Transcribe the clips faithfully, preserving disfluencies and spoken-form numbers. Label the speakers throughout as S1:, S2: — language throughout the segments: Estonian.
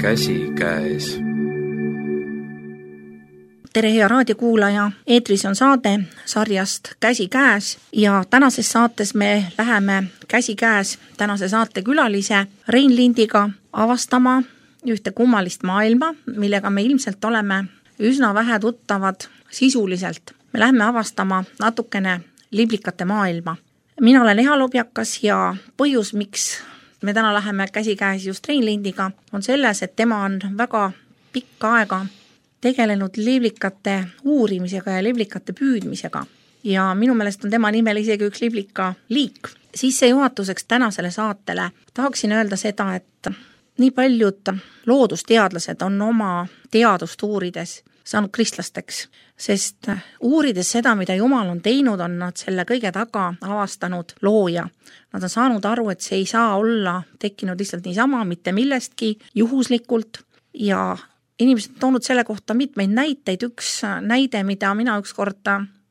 S1: Käsikäes.
S2: Tere, hea raadiokuulaja! Eetris on saade sarjast Käsikäes ja tänases saates me läheme käsikäes tänase saate külalise Rein Lindiga avastama ühte kummalist maailma, millega me ilmselt oleme üsna vähe tuttavad sisuliselt. Me läheme avastama natukene liblikate maailma. Mina olen Eha Lobjakas ja põhjus, miks me täna läheme käsikäes just Rein Lindiga, on selles, et tema on väga pikka aega tegelenud liblikate uurimisega ja liblikate püüdmisega. Ja minu meelest on tema nimel isegi üks liblika liik. Sissejuhatuseks tänasele saatele tahaksin öelda seda, et nii paljud loodusteadlased on oma teadust uurides saanud kristlasteks, sest uurides seda, mida Jumal on teinud, on nad selle kõige taga avastanud looja. Nad on saanud aru, et see ei saa olla tekkinud lihtsalt niisama, mitte millestki juhuslikult ja inimesed on toonud selle kohta mitmeid näiteid. Üks näide, mida mina ükskord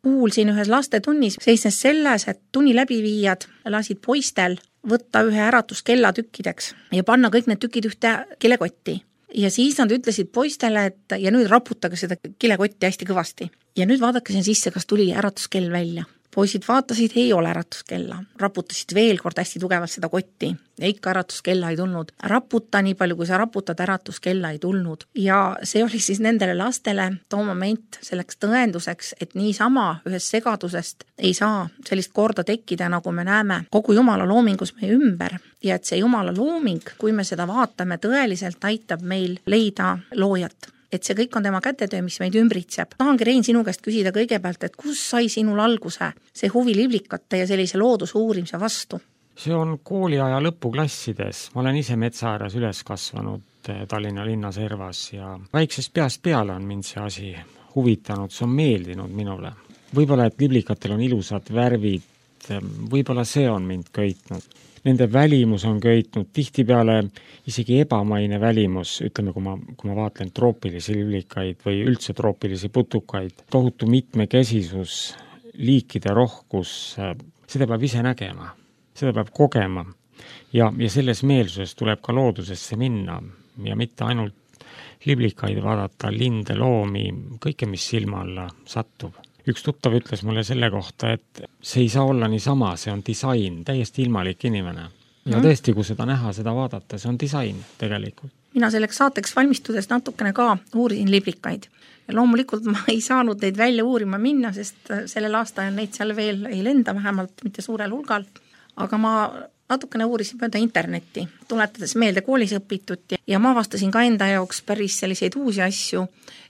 S2: kuulsin ühes lastetunnis, seisnes selles, et tunni läbiviijad lasid poistel võtta ühe äratuskella tükkideks ja panna kõik need tükid ühte kilekotti. Ja siis nad ütlesid poistele, et ja nüüd raputage seda kilekotti hästi kõvasti. Ja nüüd vaadake siin sisse, kas tuli äratuskell välja. Poisid vaatasid, ei ole äratuskella. Raputasid veel kord hästi tugevalt seda kotti ja ikka äratuskella ei tulnud. Raputa nii palju, kui sa raputad, äratuskella ei tulnud. Ja see oli siis nendele lastele too moment selleks tõenduseks, et niisama ühest segadusest ei saa sellist korda tekkida, nagu me näeme kogu Jumala loomingus meie ümber. Ja et see Jumala looming, kui me seda vaatame, tõeliselt aitab meil leida loojat. Et see kõik on tema kätetöö, mis meid ümbritseb. Tahangi, Rein, sinu käest küsida kõigepealt, et kus sai sinul alguse see huvi liblikate ja sellise loodusuurimise vastu?
S3: See on kooliaja lõpuklassides. Ma olen ise metsaääres üles kasvanud Tallinna linnaservas ja väiksest peast peale on mind see asi huvitanud, see on meeldinud minule. Võib-olla, et liblikatel on ilusad värvid, võib-olla see on mind köitnud. Nende välimus on köitnud, tihtipeale isegi ebamaine välimus, ütleme, kui ma, kui ma vaatlen troopilisi liblikaid või üldse troopilisi putukaid, tohutu mitmekesisus, liikide rohkus, seda peab ise nägema, seda peab kogema ja, ja selles meelsuses tuleb ka loodusesse minna ja mitte ainult liblikaid vaadata, linde, loomi, kõike, mis silma alla sattub. Üks tuttav ütles mulle selle kohta, et see ei saa olla niisama, see on disain, täiesti ilmalik inimene. Ja tõesti, kui seda näha, seda vaadata, see on disain tegelikult.
S2: Mina selleks saateks valmistudes natukene ka uurisin liblikaid. Ja loomulikult ma ei saanud neid välja uurima minna, sest sellel aastal neid seal veel ei lenda, vähemalt mitte suurel hulgal. Aga ma natukene uurisin mööda internetti, tuletades meelde koolis õpitut ja ma avastasin ka enda jaoks päris selliseid uusi asju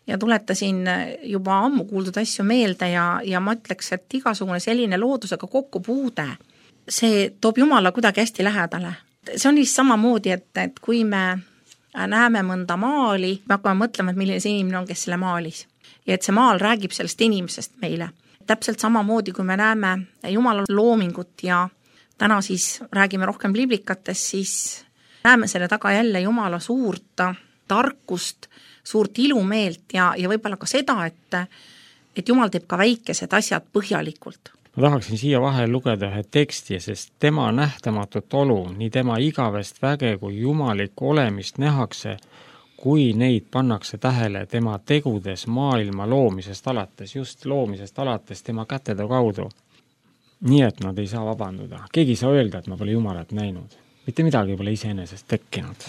S2: ja tuletasin juba ammu kuuldud asju meelde ja, ja ma ütleks, et igasugune selline loodusega kokkupuude, see toob Jumala kuidagi hästi lähedale. See on vist samamoodi, et, et kui me näeme mõnda maali, me hakkame mõtlema, et milline see inimene on, kes selle maalis. Ja et see maal räägib sellest inimesest meile. Täpselt samamoodi, kui me näeme Jumala loomingut ja täna siis räägime rohkem liblikatest, siis näeme selle taga jälle Jumala suurt tarkust, suurt ilumeelt ja, ja võib-olla ka seda, et, et Jumal teeb ka väikesed asjad põhjalikult.
S3: Ma tahaksin siia vahel lugeda ühe teksti, sest tema nähtamatut olu, nii tema igavest väge kui jumaliku olemist nähakse, kui neid pannakse tähele tema tegudes maailma loomisest alates, just loomisest alates tema kätede kaudu. Nii, et nad ei saa vabanduda. Keegi ei saa öelda, et ma pole Jumalat näinud. Mitte midagi pole iseenesest tekkinud.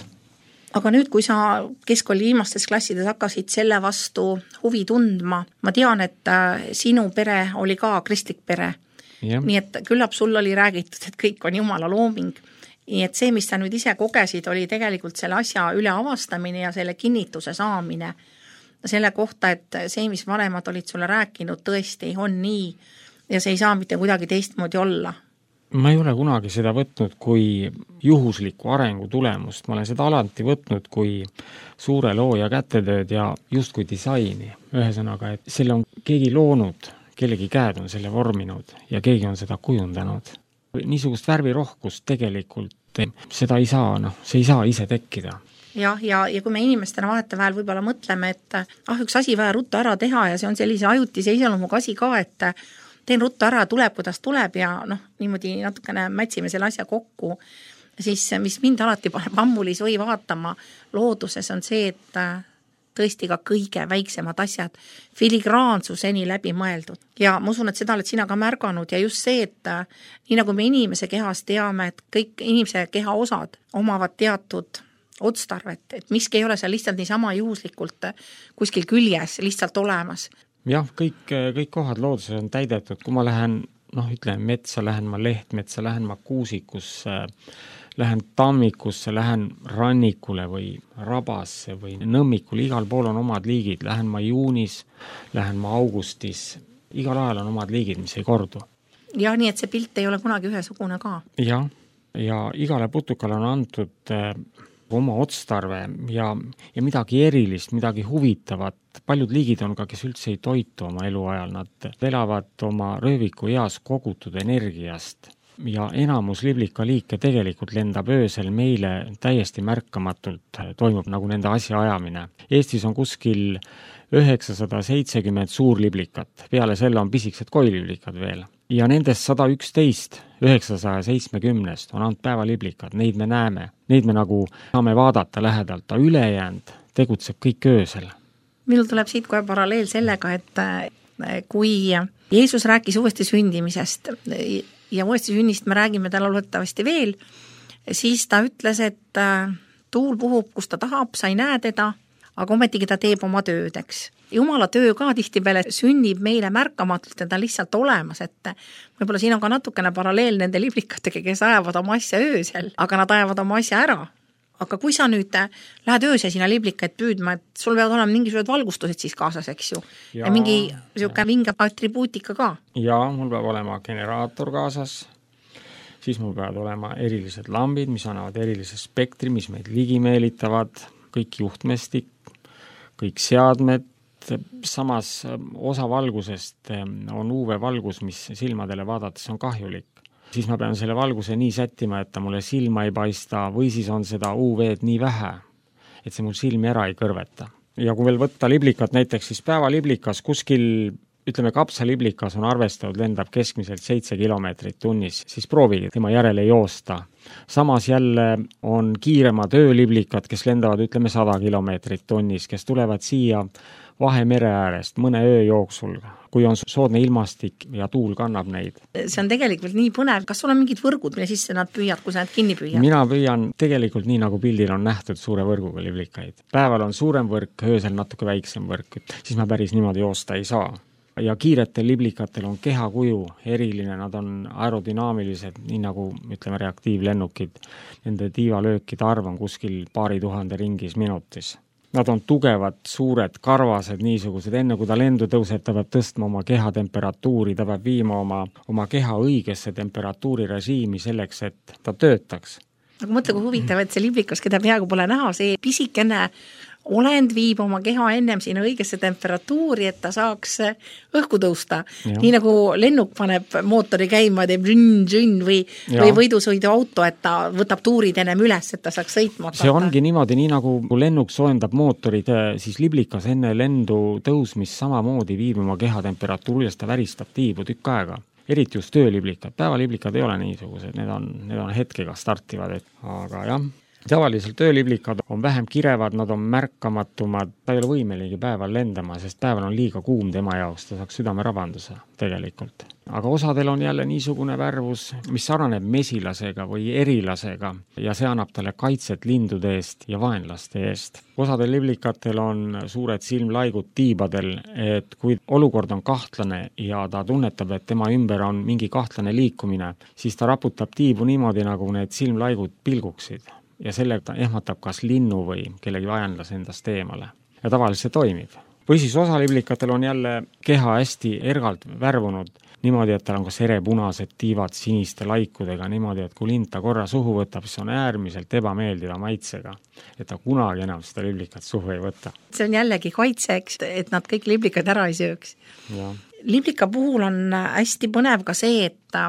S2: Aga nüüd, kui sa keskkooli viimastes klassides hakkasid selle vastu huvi tundma, ma tean, et sinu pere oli ka kristlik pere. Ja. Nii et küllap sul oli räägitud, et kõik on Jumala looming. Nii et see, mis sa nüüd ise kogesid, oli tegelikult selle asja üle avastamine ja selle kinnituse saamine. Selle kohta, et see, mis vanemad olid sulle rääkinud, tõesti on nii ja see ei saa mitte kuidagi teistmoodi olla.
S3: Ma ei ole kunagi seda võtnud kui juhusliku arengu tulemust. Ma olen seda alati võtnud kui suure looja kätetööd ja just kui disaini. Ühesõnaga, et selle on keegi loonud, kellegi käed on selle vorminud ja keegi on seda kujundanud. Niisugust värvirohkust tegelikult seda ei saa, noh, see ei saa ise tekkida.
S2: Jah, ja, ja kui me inimestena vahetevahel võib-olla mõtleme, et ah, üks asi vaja ruttu ära teha ja see on sellise ajutise iseloomuga asi ka, et teen ruttu ära, tuleb, kuidas tuleb ja noh, niimoodi natukene mätsime selle asja kokku. siis mis mind alati paneb ammulis või vaatama looduses on see, et tõesti ka kõige väiksemad asjad filigraansuseni läbi mõeldud. Ja ma usun, et seda oled sina ka märganud ja just see, et nii nagu me inimese kehas teame, et kõik inimese keha osad omavad teatud otstarvet, et miski ei ole seal lihtsalt niisama juhuslikult kuskil küljes lihtsalt olemas.
S3: Jah, kõik, kõik kohad looduses on täidetud, kui ma lähen, noh ütleme metsa, lähen ma lehtmetsa, lähen ma kuusikusse, lähen tammikusse, lähen rannikule või rabasse või nõmmikule, igal pool on omad liigid, lähen ma juunis, lähen ma augustis, igal ajal on omad liigid, mis ei kordu.
S2: Ja nii, et see pilt ei ole kunagi ühesugune ka.
S3: Ja, ja igale putukale on antud äh, oma otstarve ja, ja midagi erilist, midagi huvitavat. Paljud liigid on ka, kes üldse ei toitu oma eluajal, nad elavad oma rööviku eas kogutud energiast. Ja enamus liblikaliike tegelikult lendab öösel meile täiesti märkamatult, toimub nagu nende asja ajamine. Eestis on kuskil üheksasada seitsekümmend suurliblikat, peale selle on pisiksed koiliblikad veel. Ja nendest sada üksteist, üheksasaja seitsmekümnest on ainult päevaliblikad, neid me näeme, neid me nagu saame vaadata lähedalt, ta ülejäänud tegutseb kõik öösel.
S2: Minul tuleb siit kohe paralleel sellega, et kui Jeesus rääkis uuesti sündimisest ja uuesti sünnist me räägime täna loodetavasti veel, siis ta ütles, et tuul puhub, kus ta tahab, sa ei näe teda, aga ometigi ta teeb oma tööd, eks. Jumala töö ka tihtipeale sünnib meile märkamatult ja ta lihtsalt olemas, et võib-olla siin on ka natukene paralleel nende liblikatega, kes ajavad oma asja öösel, aga nad ajavad oma asja ära. Aga kui sa nüüd lähed öösel sinna liblikaid püüdma, et sul peavad olema mingisugused valgustused siis kaasas, eks ju, ja, ja mingi siuke vinge atribuutika ka.
S3: Ja mul peab olema generaator kaasas, siis mul peavad olema erilised lambid, mis annavad erilise spektri, mis meid ligi meelitavad, kõik juhtmestik, kõik seadmed, samas osa valgusest on U V-valgus, mis silmadele vaadates on kahjulik. Siis ma pean selle valguse nii sättima, et ta mulle silma ei paista või siis on seda U V-d nii vähe, et see mul silmi ära ei kõrveta. Ja kui veel võtta liblikat, näiteks siis päevaliblikas kuskil, ütleme kapsaliblikas on arvestatud, lendab keskmiselt seitse kilomeetrit tunnis, siis proovige tema järele joosta. Samas jälle on kiiremad ööliblikad, kes lendavad, ütleme, sada kilomeetrit tunnis, kes tulevad siia Vahemere äärest mõne öö jooksul, kui on soodne ilmastik ja tuul kannab neid.
S2: See on tegelikult nii põnev. Kas sul on mingid võrgud, mille sisse nad püüad, kui sa need kinni püüad?
S3: Mina püüan tegelikult nii, nagu pildil on nähtud suure võrguga liblikaid. Päeval on suurem võrk, öösel natuke väiksem võrk, siis ma päris niimoodi joosta ei saa. Ja kiiretel liblikatel on kehakuju eriline, nad on aerodünaamilised, nii nagu ütleme reaktiivlennukid. Nende tiivalöökide arv on kuskil paari tuhande ringis minutis. Nad on tugevad, suured, karvased, niisugused. Enne kui ta lendu tõuseb, ta peab tõstma oma keha temperatuuri, ta peab viima oma, oma keha õigesse temperatuurirežiimi selleks, et ta töötaks.
S2: Aga mõtle, kui huvitav, et see liblikas, keda peaaegu pole näha, see pisikene olend viib oma keha ennem sinna õigesse temperatuuri, et ta saaks õhku tõusta. Ja. Nii nagu lennuk paneb mootori käima, teeb žünn, žünn või, või võidusõidu auto, et ta võtab tuurid ennem üles, et ta saaks sõitma.
S3: See ongi niimoodi, nii nagu lennuk soojendab mootorid, siis liblikas enne lendu tõusmist samamoodi viib oma keha temperatuuri, ta väristab tiibu tükk aega. Eriti just tööliblikad. Päevaliblikad ei ole niisugused, need on, need on hetkega startivad, et, aga jah. Tavaliselt tööliblikad on vähem kirevad, nad on märkamatumad, ta ei ole võimeligi päeval lendama, sest päeval on liiga kuum tema jaoks, ta saaks südamerabanduse tegelikult. Aga osadel on jälle niisugune värvus, mis saraneb mesilasega või erilasega ja see annab talle kaitset lindude eest ja vaenlaste eest. Osadel liblikatel on suured silmlaigud tiibadel, et kui olukord on kahtlane ja ta tunnetab, et tema ümber on mingi kahtlane liikumine, siis ta raputab tiibu niimoodi, nagu need silmlaigud pilguksid. Ja sellega ta ehmatab kas linnu või kellegi vaenlase endast eemale. Ja tavaliselt see toimib. Või siis osa liblikatel on jälle keha hästi ergalt värvunud, niimoodi, et tal on kas erepunased tiivad siniste laikudega, niimoodi, et kui lind ta korra suhu võtab, siis on äärmiselt ebameeldiva maitsega, et ta kunagi enam seda liblikat suhu ei võta.
S2: See on jällegi kaitseks, et nad kõik liblikad ära ei sööks.
S3: Ja.
S2: Liblika puhul on hästi põnev ka see, et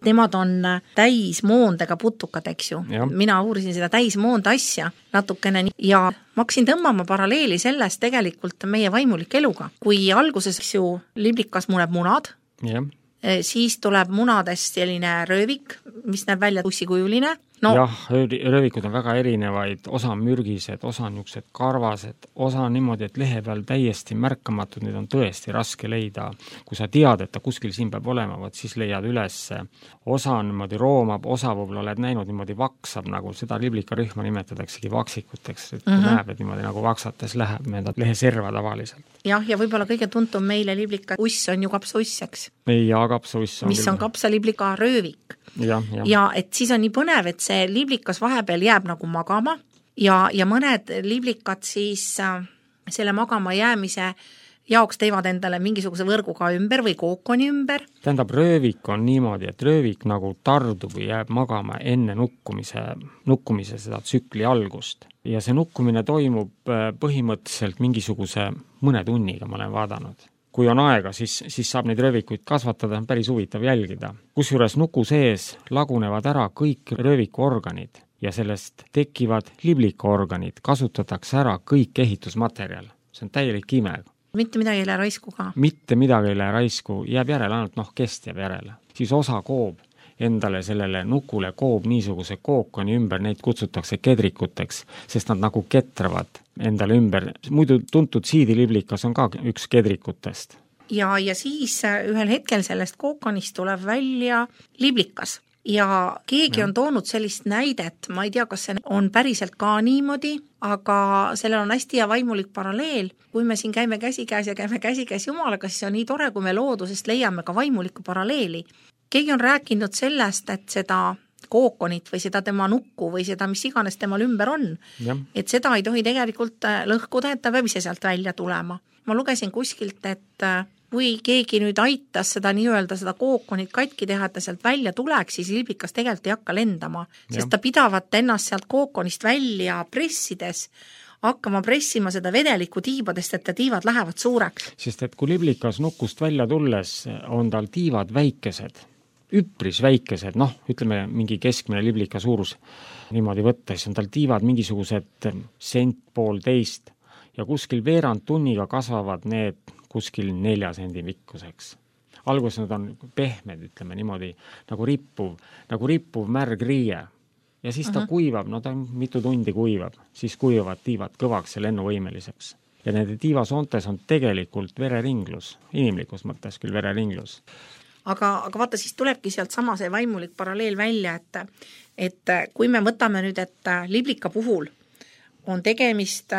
S2: nemad on täismoondega putukad, eks ju.
S3: Ja.
S2: Mina uurisin seda täismoonda asja natukene ja ma hakkasin tõmbama paralleeli sellest tegelikult meie vaimulike eluga. Kui alguses ju liblikas muneb munad,
S3: ja.
S2: siis tuleb munadest selline röövik, mis näeb välja tussikujuline no,
S3: jah, röövikud on väga erinevaid, osa on mürgised, osa on niisugused karvased, osa on niimoodi, et lehe peal täiesti märkamatud, neid on tõesti raske leida. Kui sa tead, et ta kuskil siin peab olema, võt siis leiad üles. Osa on niimoodi roomab, osa võib-olla oled näinud niimoodi vaksab, nagu seda liblikarühma nimetataksegi vaksikuteks, et kui mm -hmm. näeb, et niimoodi nagu vaksates läheb mööda leheserva tavaliselt.
S2: jah, ja võib-olla kõige tuntum meile liblika uss on ju kapsauss, eks?
S3: ja kapsauss on
S2: mis küll. On kapsaliblika röövik.
S3: Ja, ja.
S2: ja et siis on nii põnev, et see liblikas vahepeal jääb nagu magama ja, ja mõned liblikad siis äh, selle magama jäämise jaoks teevad endale mingisuguse võrguga ümber või kookoni ümber.
S3: Tähendab, röövik on niimoodi, et röövik nagu tardub või jääb magama enne nukkumise, nukkumise seda tsükli algust. Ja see nukkumine toimub põhimõtteliselt mingisuguse mõne tunniga, ma olen vaadanud. Kui on aega, siis, siis saab neid röövikuid kasvatada, on päris huvitav jälgida. Kusjuures nuku sees lagunevad ära kõik röövikuorganid ja sellest tekivad liblikaorganid, kasutatakse ära kõik ehitusmaterjal. See on täielik ime.
S2: Mitte midagi ei lähe raisku ka.
S3: Mitte midagi ei lähe raisku, jääb järele, ainult noh, kest jääb järele. Siis osa koob endale sellele nukule koob niisuguse kookoni ümber, neid kutsutakse kedrikuteks, sest nad nagu ketravad endale ümber. Muidu tuntud siidiliblikas on ka üks kedrikutest.
S2: Ja, ja siis ühel hetkel sellest kookonist tuleb välja liblikas. Ja keegi ja. on toonud sellist näidet, ma ei tea, kas see on päriselt ka niimoodi, aga sellel on hästi ja vaimulik paralleel. Kui me siin käime käsikäes ja käime käsikäes Jumalaga, siis on nii tore, kui me loodusest leiame ka vaimulikku paralleeli. Keegi on rääkinud sellest, et seda kookonit või seda tema nukku või seda, mis iganes temal ümber on, ja. et seda ei tohi tegelikult lõhkuda, et ta peab ise sealt välja tulema. Ma lugesin kuskilt, et kui keegi nüüd aitas seda nii-öelda seda kookonit katki teha, et ta sealt välja tuleks, siis liblikas tegelikult ei hakka lendama, sest ja. ta pidavat ennast sealt kookonist välja pressides hakkama pressima seda vedelikku tiibadest, et ta tiivad lähevad suureks.
S3: Sest et kui liblikas nukust välja tulles on tal tiivad väikesed, üpris väikesed, noh, ütleme mingi keskmine liblika suurus niimoodi võttes, on tal tiivad mingisugused sent poolteist ja kuskil veerand tunniga kasvavad need kuskil nelja sendi pikkuseks. Alguses nad on pehmed, ütleme niimoodi, nagu rippuv, nagu rippuv märg riie. Ja siis ta uh-huh. kuivab, no ta mitu tundi kuivab, siis kuivavad tiivad kõvaks ja lennuvõimeliseks. Ja nende tiivasoontes on tegelikult vereringlus, inimlikus mõttes küll vereringlus.
S2: Aga, aga vaata, siis tulebki sealt sama see vaimulik paralleel välja, et, et kui me võtame nüüd, et liblika puhul on tegemist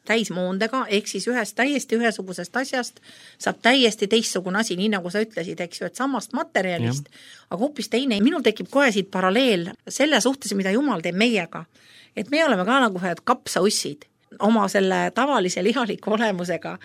S2: täismoondega, ehk siis ühest täiesti ühesugusest asjast saab täiesti teistsugune asi, nii nagu sa ütlesid, eks ju, et samast materjalist, ja. aga hoopis teine. Minul tekib kohe siit paralleel selle suhtes, mida Jumal teeb meiega. Et me oleme ka nagu ühed kapsaussid oma selle tavalise lihaliku olemusega.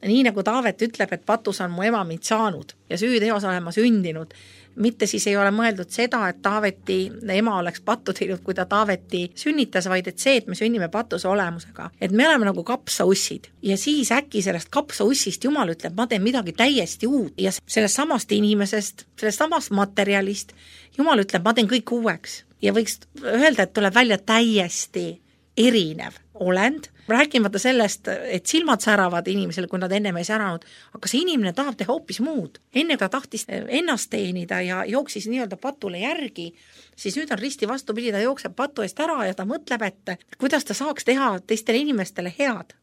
S2: Nii nagu Taavet ütleb, et patus on mu ema mind saanud ja süüteos olen ma sündinud. Mitte siis ei ole mõeldud seda, et Taaveti ema oleks pattu teinud, kui ta Taaveti sünnitas, vaid et see, et me sünnime patuse olemusega. Et me oleme nagu kapsaussid ja siis äkki sellest kapsaussist Jumal ütleb, ma teen midagi täiesti uut ja sellest samast inimesest, sellest samast materjalist Jumal ütleb, ma teen kõik uueks ja võiks öelda, et tuleb välja täiesti erinev olend, rääkimata sellest, et silmad säravad inimesele, kui nad ennem ei säranud, aga see inimene tahab teha hoopis muud. Enne ta tahtis ennast teenida ja jooksis nii-öelda patule järgi, siis nüüd on risti vastupidi, ta jookseb patu eest ära ja ta mõtleb, et kuidas ta saaks teha teistele inimestele head.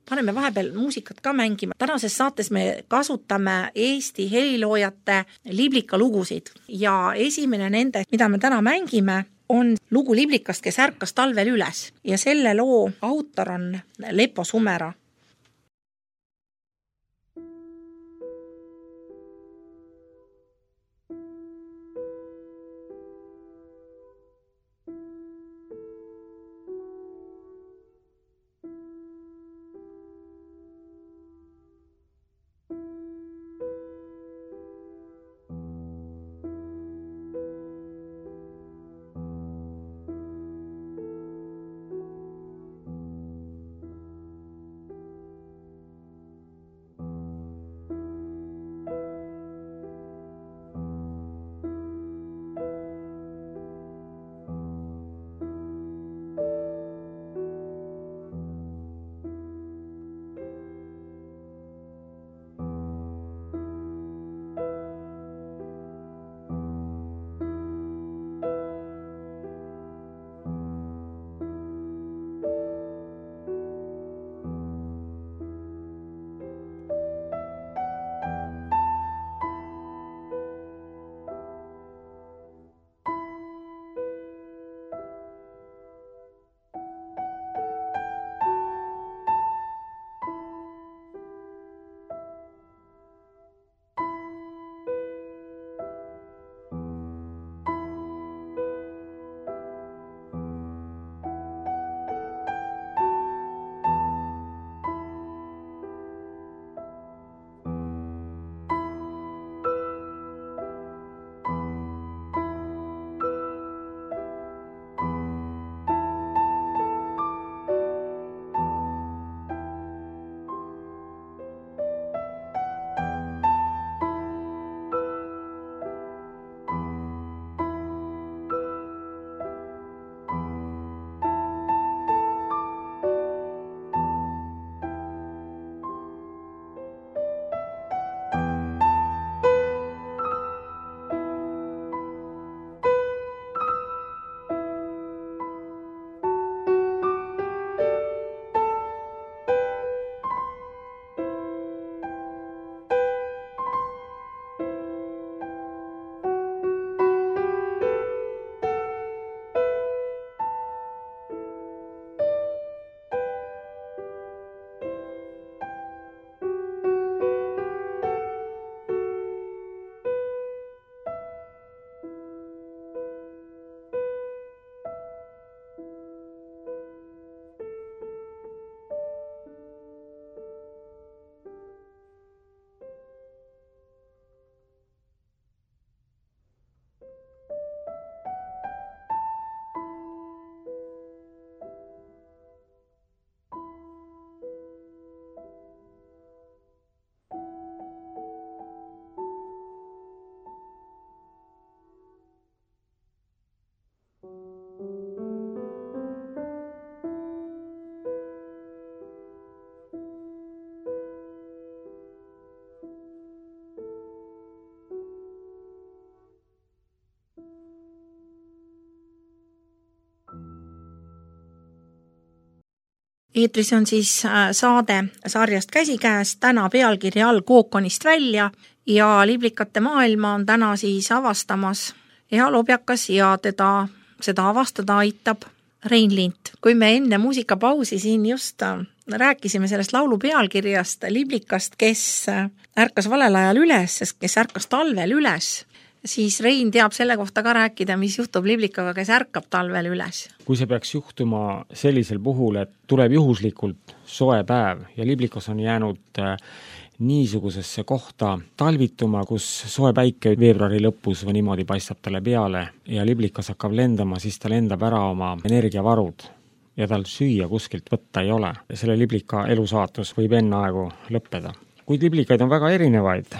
S2: Paneme vahepeal muusikat ka mängima. Tänases saates me kasutame Eesti heliloojate liblika lugusid ja esimene nende, mida me täna mängime, on lugu liblikast, kes ärkas talvel üles ja selle loo autor on Lepo Sumera. eetris on siis saade sarjast Käsikäes, täna pealkirja all Kookonist välja ja liblikate maailma on täna siis avastamas Eha Lobjakas ja teda seda avastada aitab Rein Lint. Kui me enne muusikapausi siin just rääkisime sellest laulu pealkirjast, liblikast, kes ärkas valel ajal üles, kes ärkas talvel üles, siis Rein teab selle kohta ka rääkida, mis juhtub liblikaga, kes ärkab talvel üles.
S3: Kui see peaks juhtuma sellisel puhul, et tuleb juhuslikult soe päev ja liblikas on jäänud niisugusesse kohta talvituma, kus soe päike veebruari lõpus või niimoodi paistab talle peale ja liblikas hakkab lendama, siis ta lendab ära oma energiavarud ja tal süüa kuskilt võtta ei ole. Selle liblika elusaatus võib enne aegu lõppeda. Kuid liblikaid on väga erinevaid.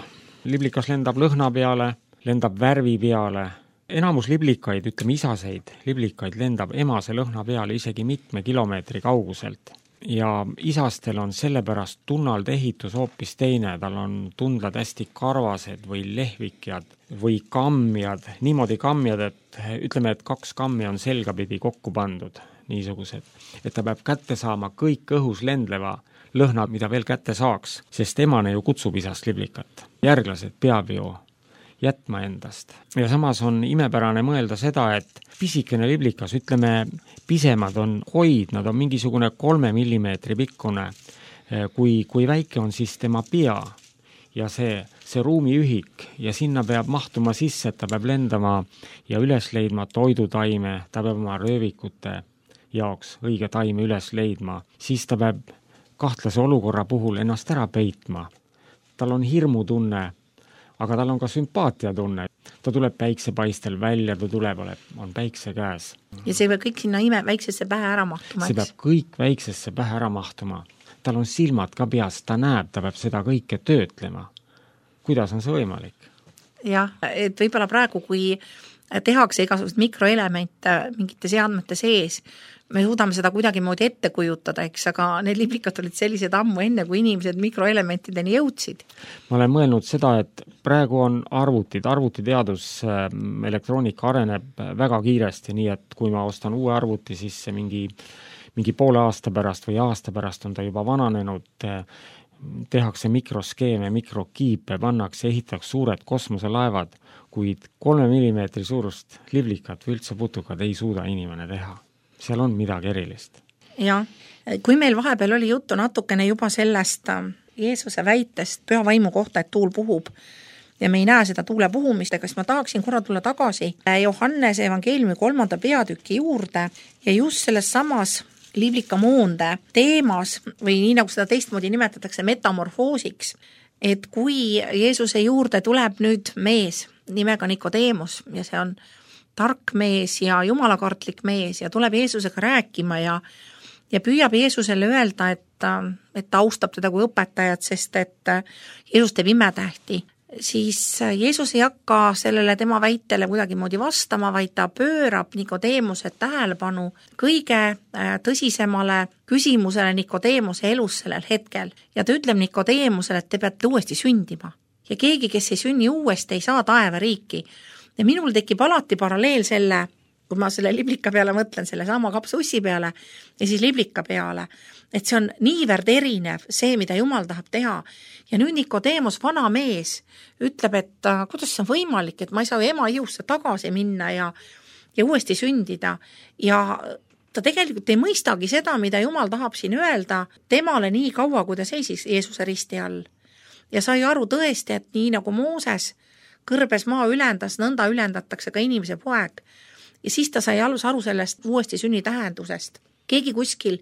S3: Liblikas lendab lõhna peale, lendab värvi peale. Enamus liblikaid, ütleme isaseid, liblikaid lendab emase lõhna peale isegi mitme kilomeetri kauguselt. Ja isastel on sellepärast tunnalde ehitus hoopis teine, tal on tundlad hästi karvased või lehvikjad või kammjad, niimoodi kammjad, et ütleme, et kaks kammi on selgapidi kokku pandud, niisugused, et ta peab kätte saama kõik õhus lendleva lõhnad, mida veel kätte saaks, sest emane ju kutsub isast liblikat. Järglased peab ju jätma endast. Ja samas on imepärane mõelda seda, et pisikene liblikas, ütleme, pisemad on hoid, nad on mingisugune kolme millimeetri pikkune, kui, kui väike on siis tema pea ja see, see ruumiühik ja sinna peab mahtuma sisse, et ta peab lendama ja üles leidma toidutaime, ta peab oma röövikute jaoks õige taime üles leidma, siis ta peab kahtlase olukorra puhul ennast ära peitma. Tal on hirmutunne, aga tal on ka sümpaatiatunne. Ta tuleb päiksepaistel välja, ta tuleb, on päikse käes.
S2: Ja see peab kõik sinna ime väiksesse pähe ära mahtuma.
S3: See peab kõik väiksesse pähe ära mahtuma. Tal on silmad ka peas, ta näeb, ta peab seda kõike töötlema. Kuidas on see võimalik?
S2: Jah, et võib-olla praegu, kui tehakse igasugust mikroelemente mingite seadmete sees, me suudame seda kuidagi moodi ette kujutada, eks, aga need liblikad olid sellised ammu enne, kui inimesed mikroelementideni jõudsid.
S3: Ma olen mõelnud seda, et praegu on arvutid, arvutiteadus, elektroonika areneb väga kiiresti, nii et kui ma ostan uue arvuti, siis see mingi, mingi poole aasta pärast või aasta pärast on ta juba vananenud, tehakse mikroskeeme, mikrokiipe, pannakse, ehitaks suured kosmoselaevad, kuid kolme millimeetri suurust liblikat või üldse putukad ei suuda inimene teha. Seal on midagi erilist.
S2: Ja, kui meil vahepeal oli juttu natukene juba sellest Jeesuse väitest püha vaimu kohta, et tuul puhub ja me ei näe seda tuule puhumist, aga siis ma tahaksin korra tulla tagasi Johannese evangeeliumi kolmanda peatüki juurde ja just selles samas liblikamoonde teemas või nii nagu seda teistmoodi nimetatakse metamorfoosiks, et kui Jeesuse juurde tuleb nüüd mees nimega Nikodeemus ja see on tark mees ja jumalakartlik mees ja tuleb Jeesusega rääkima ja, ja püüab Jeesusele öelda, et, et ta austab teda kui õpetajat, sest et Jeesus teeb imetähti, siis Jeesus ei hakka sellele tema väitele kuidagi moodi vastama, vaid ta pöörab Nikodeemuse tähelepanu kõige tõsisemale küsimusele Nikodeemuse elus sellel hetkel. Ja ta ütleb Nikodeemusele, et te peate uuesti sündima. Ja keegi, kes ei sünni uuesti, ei saa taeva riiki. Ja minul tekib alati paralleel selle, kui ma selle liblika peale mõtlen, selle sama kapsussi peale ja siis liblika peale, et see on niivõrd erinev see, mida Jumal tahab teha. Ja nüüd Nikodeemus, vana mees, ütleb, et kuidas see on võimalik, et ma ei saa ema jõusse tagasi minna ja, ja uuesti sündida. Ja ta tegelikult ei mõistagi seda, mida Jumal tahab siin öelda temale nii kaua, kui ta seisis Jeesuse risti all. Ja sai aru tõesti, et nii nagu Mooses kõrbes maa ülendas, nõnda ülendatakse ka inimese poeg. Ja siis ta sai alus aru sellest uuesti sünni tähendusest. Keegi kuskil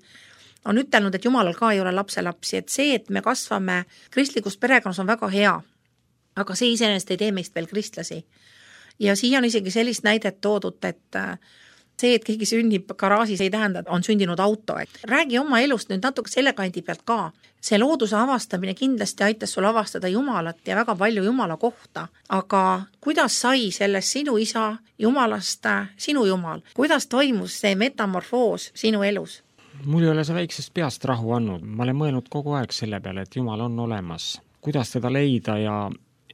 S2: on ütelnud, et Jumalal ka ei ole lapselapsi, et see, et me kasvame kristlikus perekonnas on väga hea, aga see iseenesest ei tee meist veel kristlasi. Ja siia on isegi sellist näidet toodud, et see, et keegi sünnib garaažis ei tähenda, on sündinud auto. Räägi oma elust nüüd natuke selle kandi pealt ka. See looduse avastamine kindlasti aitas sul avastada Jumalat ja väga palju Jumala kohta. Aga kuidas sai sellest sinu isa Jumalast sinu Jumal? Kuidas toimus see metamorfoos sinu elus?
S3: Mul ei ole see väiksest peast rahu andnud. Ma olen mõelnud kogu aeg selle peale, et Jumal on olemas. Kuidas teda leida ja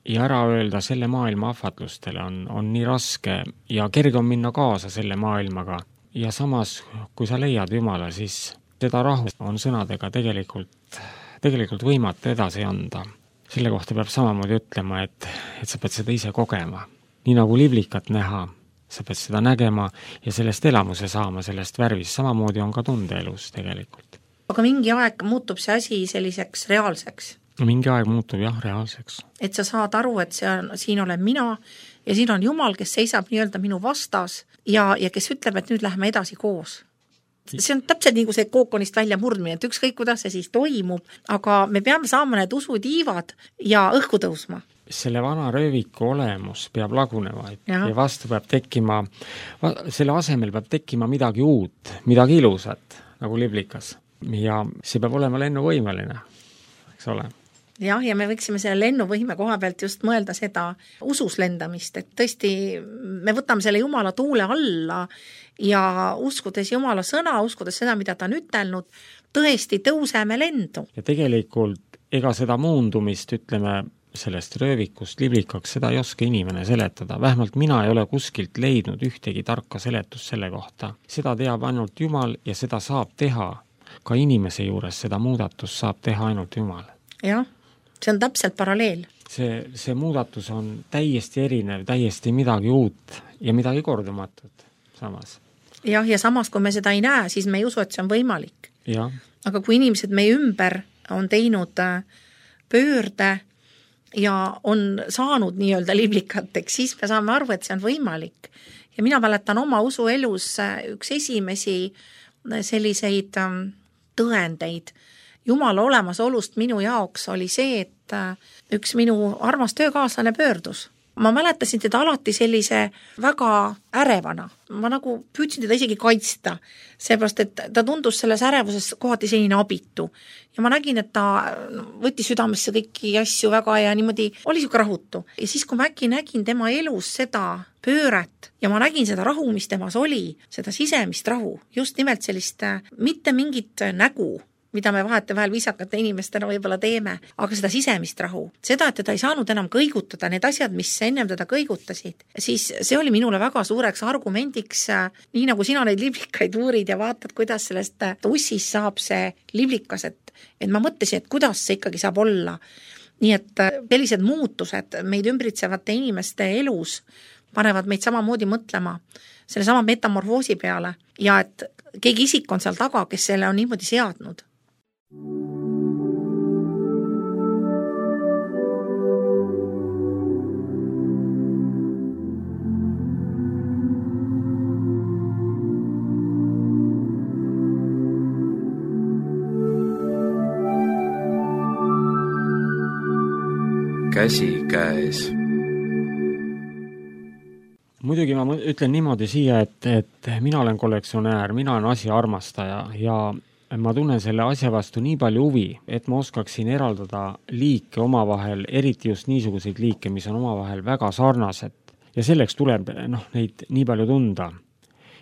S3: ja ära öelda selle maailma ahvatlustele on, on nii raske ja kerge on minna kaasa selle maailmaga. Ja samas, kui sa leiad Jumala, siis seda rahu on sõnadega tegelikult, tegelikult võimatu edasi anda. Selle kohta peab samamoodi ütlema, et, et sa pead seda ise kogema. Nii nagu liblikat näha, sa pead seda nägema ja sellest elamuse saama, sellest värvist. Samamoodi on ka tundeelus tegelikult.
S2: Aga mingi aeg muutub see asi selliseks reaalseks.
S3: Mingi aeg muutub jah reaalseks.
S2: Et sa saad aru, et see on, siin olen mina ja siin on Jumal, kes seisab nii-öelda minu vastas ja, ja kes ütleb, et nüüd läheme edasi koos. See on täpselt nagu see kookonist välja murdmine, et ükskõik kuidas see siis toimub, aga me peame saama need usutiivad ja õhku tõusma.
S3: Selle vana rööviku olemus peab lagunema ja, ja vastu peab tekkima, selle asemel peab tekkima midagi uut, midagi ilusat, nagu liblikas. Ja see peab olema lennuvõimeline, eks ole.
S2: Jah, ja me võiksime selle lennuvõime koha pealt just mõelda seda usus lendamist, et tõesti me võtame selle Jumala tuule alla ja uskudes Jumala sõna, uskudes seda, mida ta on ütelnud, tõesti tõuseme lendu.
S3: Ja tegelikult ega seda muundumist, ütleme, sellest röövikust liblikaks, seda ei oska inimene seletada. Vähemalt mina ei ole kuskilt leidnud ühtegi tarka seletust selle kohta. Seda teab ainult Jumal ja seda saab teha ka inimese juures, seda muudatust saab teha ainult Jumal.
S2: Jah. See on täpselt paralleel.
S3: See, see muudatus on täiesti erinev, täiesti midagi uut ja midagi kordumatut samas.
S2: Jah, ja samas, kui me seda ei näe, siis me ei usu, et see on võimalik.
S3: Ja.
S2: Aga kui inimesed meie ümber on teinud pöörde ja on saanud nii-öelda liblikateks, siis me saame aru, et see on võimalik. Ja mina mäletan oma usuelus üks esimesi selliseid tõendeid Jumala olemasolust minu jaoks oli see, et üks minu armas töökaaslane pöördus. Ma mäletasin teda alati sellise väga ärevana. Ma nagu püüdsin teda isegi kaitsta, seepärast, et ta tundus selles ärevuses kohati selline abitu. Ja ma nägin, et ta võttis südamesse kõiki asju väga ja niimoodi oli siuke rahutu. Ja siis, kui ma äkki nägin tema elus seda pööret ja ma nägin seda rahu, mis temas oli, seda sisemist rahu, just nimelt sellist mitte mingit nägu, mida me vahete vahel viisakate inimestena võib-olla teeme, aga seda sisemist rahu. Seda, et teda ei saanud enam kõigutada, need asjad, mis ennem teda kõigutasid, siis see oli minule väga suureks argumendiks, nii nagu sina neid liblikaid uurid ja vaatad, kuidas sellest ussist saab see liblikas, et, et ma mõtlesin, et kuidas see ikkagi saab olla. Nii et sellised muutused meid ümbritsevate inimeste elus panevad meid samamoodi mõtlema selle sama metamorfoosi peale ja et keegi isik on seal taga, kes selle on niimoodi seadnud.
S1: Käsi käes.
S3: Muidugi ma ütlen niimoodi siia, et, et mina olen kollektsionäär, mina olen asja armastaja ja ma tunnen selle asja vastu nii palju huvi, et ma oskaksin eraldada liike omavahel, eriti just niisuguseid liike, mis on omavahel väga sarnased. Ja selleks tuleb noh, neid nii palju tunda.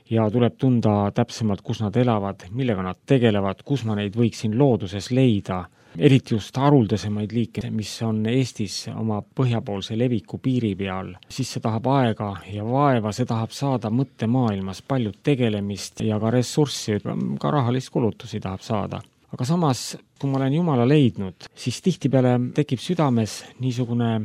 S3: Ja tuleb tunda täpsemalt, kus nad elavad, millega nad tegelevad, kus ma neid võiksin looduses leida. Eriti just haruldasemaid liike, mis on Eestis oma põhjapoolse leviku piiri peal, siis see tahab aega ja vaeva, see tahab saada mõttemaailmas palju tegelemist ja ka ressurssi, ka rahalist kulutusi tahab saada. Aga samas, kui ma olen Jumala leidnud, siis tihtipeale tekib südames niisugune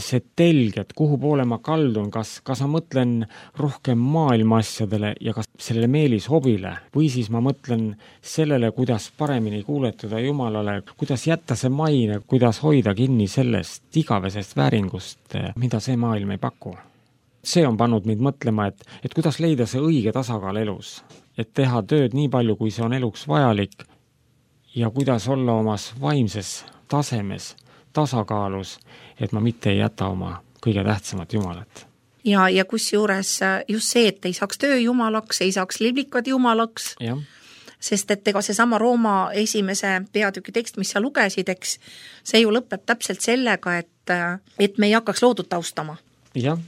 S3: see telg, et kuhu poole ma kaldun, kas, kas ma mõtlen rohkem maailma asjadele ja kas sellele meelis hobile või siis ma mõtlen sellele, kuidas paremini kuuletuda Jumalale, kuidas jätta see maine, kuidas hoida kinni sellest igavesest vääringust, mida see maailm ei paku. See on pannud mind mõtlema, et, et kuidas leida see õige tasakaal elus, et teha tööd nii palju, kui see on eluks vajalik ja kuidas olla omas vaimses tasemes tasakaalus, et ma mitte ei jäta oma kõige tähtsamat Jumalat.
S2: Ja, ja kus juures just see, et ei saaks töö Jumalaks, ei saaks liblikad Jumalaks,
S3: ja.
S2: Sest et ega see sama Rooma esimese peatüki tekst, mis sa lugesid, eks, see ju lõpeb täpselt sellega, et, et me ei hakkaks loodut austama.
S3: Jah,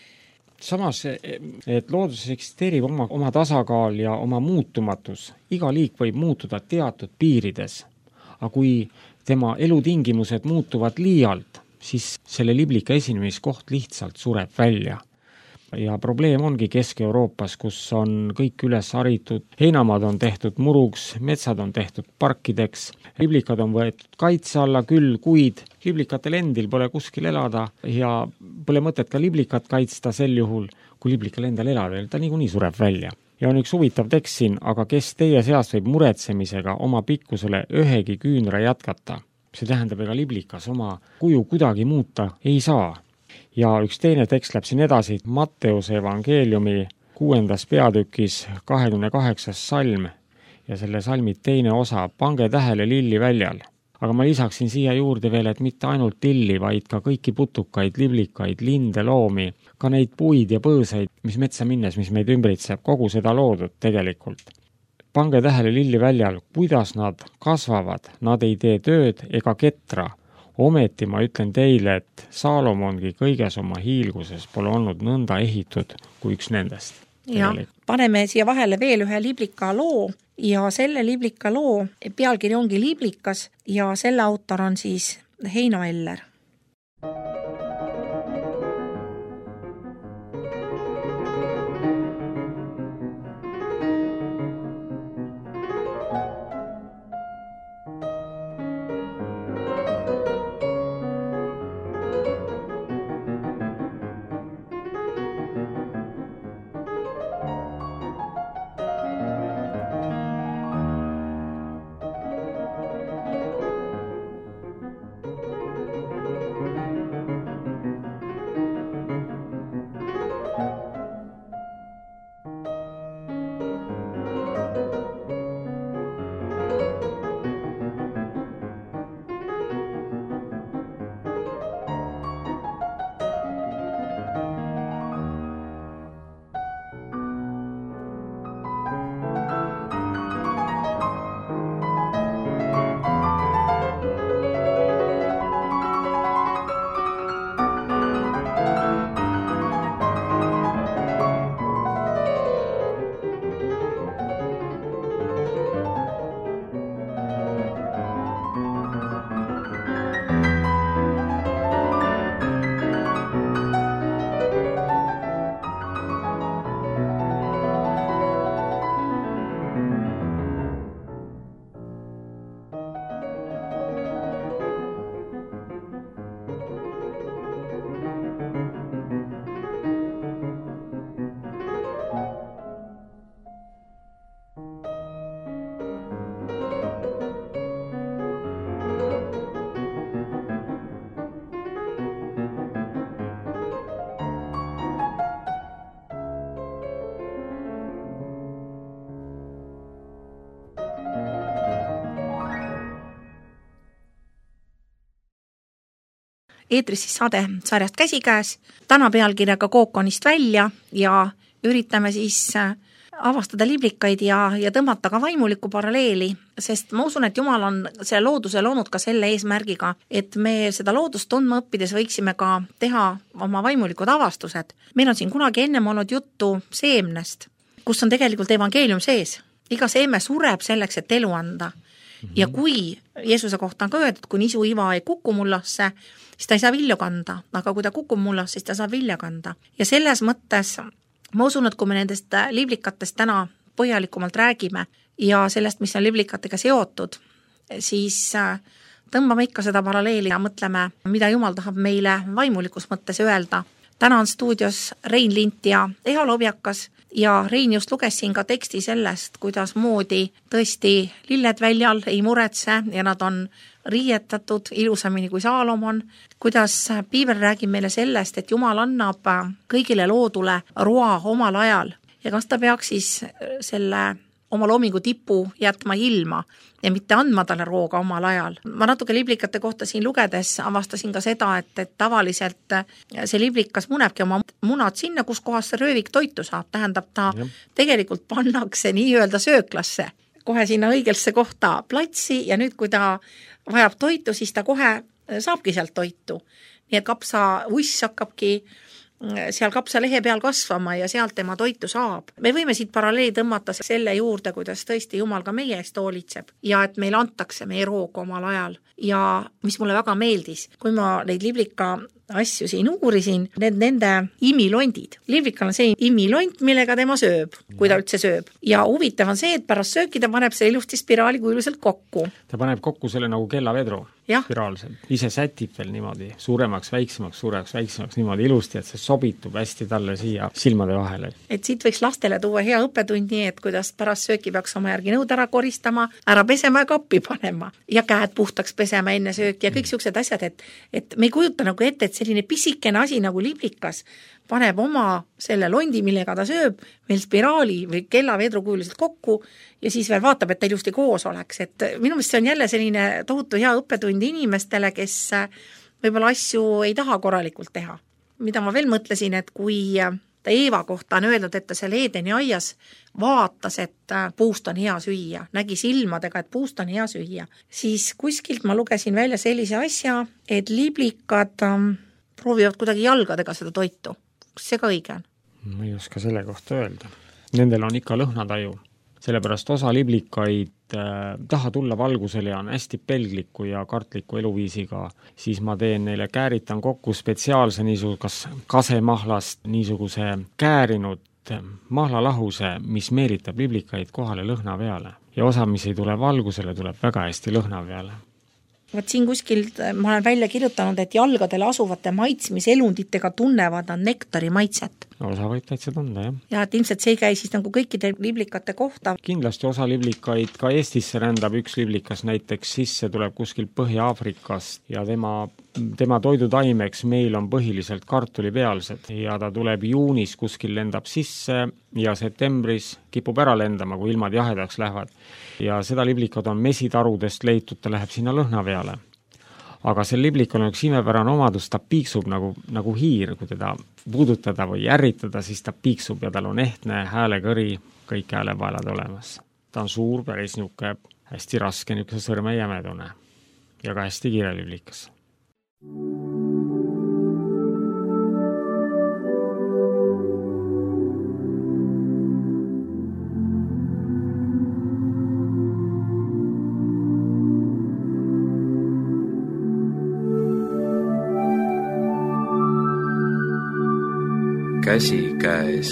S3: samas, et looduses eksisteerib oma, oma tasakaal ja oma muutumatus. Iga liik võib muutuda teatud piirides, aga kui tema elutingimused muutuvad liialt, siis selle liblika esinemiskoht lihtsalt sureb välja. ja probleem ongi Kesk-Euroopas, kus on kõik üles haritud, heinamaad on tehtud muruks, metsad on tehtud parkideks, liblikad on võetud kaitse alla küll, kuid liblikatel endil pole kuskil elada ja pole mõtet ka liblikat kaitsta sel juhul, kui liblikal endal elada, ta niikuinii sureb välja. Ja on üks huvitav tekst siin, aga kes teie seast võib muretsemisega oma pikkusele ühegi küünra jätkata? See tähendab, ega liblikas oma kuju kuidagi muuta ei saa. Ja üks teine tekst läheb siin edasi, Matteuse evangeeliumi kuuendas peatükis kahekümne kaheksas salm ja selle salmi teine osa, pange tähele lilli väljal. Aga ma lisaksin siia juurde veel, et mitte ainult lilli, vaid ka kõiki putukaid, liblikaid, linde, loomi, ka neid puid ja põõsaid, mis metsa minnes, mis meid ümbritseb, kogu seda loodud tegelikult. Pange tähele lilli väljal, kuidas nad kasvavad, nad ei tee tööd ega ketra. Ometi ma ütlen teile, et Saalomongi kõiges oma hiilguses pole olnud nõnda ehitud kui üks nendest.
S2: Ja paneme siia vahele veel ühe liblika loo ja selle liblika loo pealkiri ongi Liblikas ja selle autor on siis Heino Eller. Eetris siis saade sarjast Käsikäes, täna pealkirjaga Kookonist välja ja üritame siis avastada liblikaid ja, ja tõmmata ka vaimulikku paralleeli, sest ma usun, et Jumal on selle looduse loonud ka selle eesmärgiga, et me seda loodust tundma õppides võiksime ka teha oma vaimulikud avastused. Meil on siin kunagi ennem olnud juttu seemnest, kus on tegelikult evangeelium sees. Iga seeme sureb selleks, et elu anda. Mm-hmm. Ja kui Jeesuse kohta on ka öeldud, kui nisu iva ei kuku mullasse, siis ta ei saa vilju kanda, aga kui ta kukub mullas, siis ta saab vilja kanda. Ja selles mõttes ma usun, et kui me nendest liblikatest täna põhjalikumalt räägime ja sellest, mis on liblikatega seotud, siis tõmbame ikka seda paralleeli ja mõtleme, mida Jumal tahab meile vaimulikus mõttes öelda. Täna on stuudios Rein Lint ja Eho Lobjakas ja Rein just luges siin ka teksti sellest, kuidas moodi tõesti lilled väljal ei muretse ja nad on riietatud ilusamini kui Saalomon, kuidas Piibel räägib meile sellest, et Jumal annab kõigile loodule roa omal ajal ja kas ta peaks siis selle oma loomingu tipu jätma ilma ja mitte andma talle rooga omal ajal. Ma natuke liblikate kohta siin lugedes avastasin ka seda, et, et tavaliselt see liblikas munebki oma munad sinna, kus kohas see röövik toitu saab. Tähendab, ta ja. tegelikult pannakse nii-öelda sööklasse, kohe sinna õigelse kohta platsi ja nüüd, kui ta vajab toitu, siis ta kohe saabki sealt toitu. Nii et kapsa uss hakkabki seal kapsa lehe peal kasvama ja sealt tema toitu saab. Me võime siit paralleeli tõmmata selle juurde, kuidas tõesti Jumal ka meie eest hoolitseb ja et meil antakse meie roog omal ajal. Ja mis mulle väga meeldis, kui ma neid liblika asju siin uurisin, need nende imilondid. Liblikal on see imilond, millega tema sööb, kui ta üldse sööb. Ja huvitav on see, et pärast sööki ta paneb see ilusti spiraali kujuliselt kokku.
S3: Ta paneb kokku selle nagu kellavedru.
S2: Ja.
S3: Spiraalselt. Ise sätib veel niimoodi suuremaks, väiksemaks, suuremaks, väiksemaks niimoodi ilusti, et see sobitub hästi talle siia silmade vahele.
S2: Et siit võiks lastele tuua hea õppetund nii, et kuidas pärast sööki peaks oma järgi nõud ära koristama, ära pesema ja kappi panema ja käed puhtaks pesema enne sööki ja kõik siuksed asjad, et, et me ei kujuta nagu ette, et selline pisikene asi nagu liblikas paneb oma selle londi, millega ta sööb, veel spiraali või kellavedru kujuliselt kokku ja siis veel vaatab, et ta ilusti koos oleks. Et minu meelest see on jälle selline tohutu hea õppetund inimestele, kes võib-olla asju ei taha korralikult teha. Mida ma veel mõtlesin, et kui ta Eeva kohta on öeldud, et ta seal Eedeni aias vaatas, et puust on hea süüa, nägi silmadega, et puust on hea süüa, siis kuskilt ma lugesin välja sellise asja, et liblikad proovivad kuidagi jalgadega seda toitu. Kas see ka õige on?
S3: Ma ei oska selle kohta öelda. Nendel on ikka lõhnataju. Sellepärast osa liblikaid äh, taha tulla valgusele ja on hästi pelgliku ja kartliku eluviisiga, siis ma teen neile, kääritan kokku spetsiaalse niisuguse kas kasemahlast niisuguse käärinud mahlalahuse, mis meelitab liblikaid kohale lõhna peale. Ja osa, mis ei tule valgusele, tuleb väga hästi lõhna peale.
S2: Vaat siin kuskil ma olen välja kirjutanud, et jalgadele asuvate maitsmiselunditega tunnevad nad nektari maitset.
S3: Osa võib täitsa tunda, jah.
S2: Ja et ilmselt see ei käi siis nagu kõikide liblikate kohta.
S3: Kindlasti osa liblikaid ka Eestisse rändab, üks liblikas näiteks sisse tuleb kuskil Põhja-Aafrikast ja tema, tema toidutaimeks meil on põhiliselt kartulipealsed ja ta tuleb juunis kuskil lendab sisse ja septembris kipub ära lendama, kui ilmad jahedaks lähevad. Ja seda liblikad on mesitarudest leitud, ta läheb sinna lõhna peale. Aga see liblik on üks imepärane omadus, ta piiksub nagu, nagu hiir, kui teda puudutada või ärritada, siis ta piiksub ja tal on ehtne häälekõri, kõik häälepaelad olemas. Ta on suur, päris niuke, hästi raske niuke sõrme jämedune ja ka hästi kiire liblikas.
S1: Käsi käes.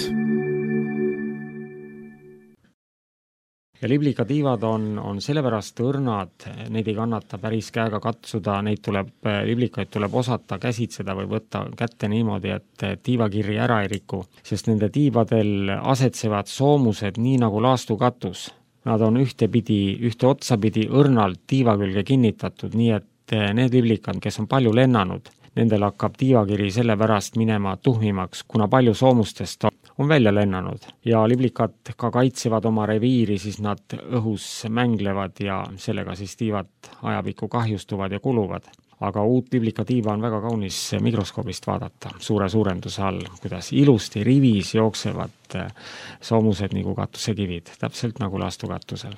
S3: Ja liblikatiivad on, on sellepärast õrnad, neid ei kannata päris käega katsuda, neid tuleb, liblikaid tuleb osata käsitseda või võtta kätte niimoodi, et tiivakirri ära ei riku, sest nende tiivadel asetsevad soomused nii nagu laastukatus. Nad on ühtepidi, ühte otsapidi õrnalt tiiva külge kinnitatud, nii et need liblikad, kes on palju lennanud, nendel hakkab tiivakiri selle pärast minema tuhmimaks, kuna palju soomustest on välja lennanud. Ja liblikad ka kaitsevad oma reviiri, siis nad õhus mänglevad ja sellega siis tiivad ajapikku kahjustuvad ja kuluvad. Aga uut liblikatiiva on väga kaunis mikroskoobist vaadata suure suurenduse all, kuidas ilusti rivis jooksevad soomused nagu katusekivid, täpselt nagu laastukatusel.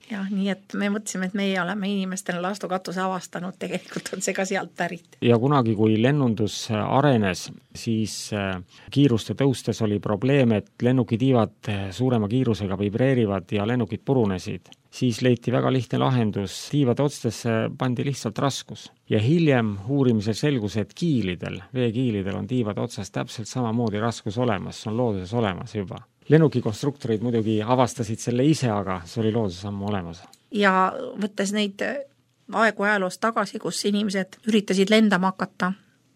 S2: Jah, nii et me mõtlesime, et meie oleme inimestena laastukatuse avastanud, tegelikult on see ka sealt pärit.
S3: Ja kunagi, kui lennundus arenes, siis kiiruste tõustes oli probleem, et lennukitiivad suurema kiirusega vibreerivad ja lennukid purunesid. Siis leiti väga lihtne lahendus, tiivade otstesse pandi lihtsalt raskus. Ja hiljem uurimisel selgus, et kiilidel, veekiilidel on tiivade otsas täpselt samamoodi raskus olemas, see on looduses olemas juba. Lennukikonstruktorid muidugi avastasid selle ise, aga see oli looduses ammu olemas.
S2: Ja võttes neid aegu ajaloost tagasi, kus inimesed üritasid lendama hakata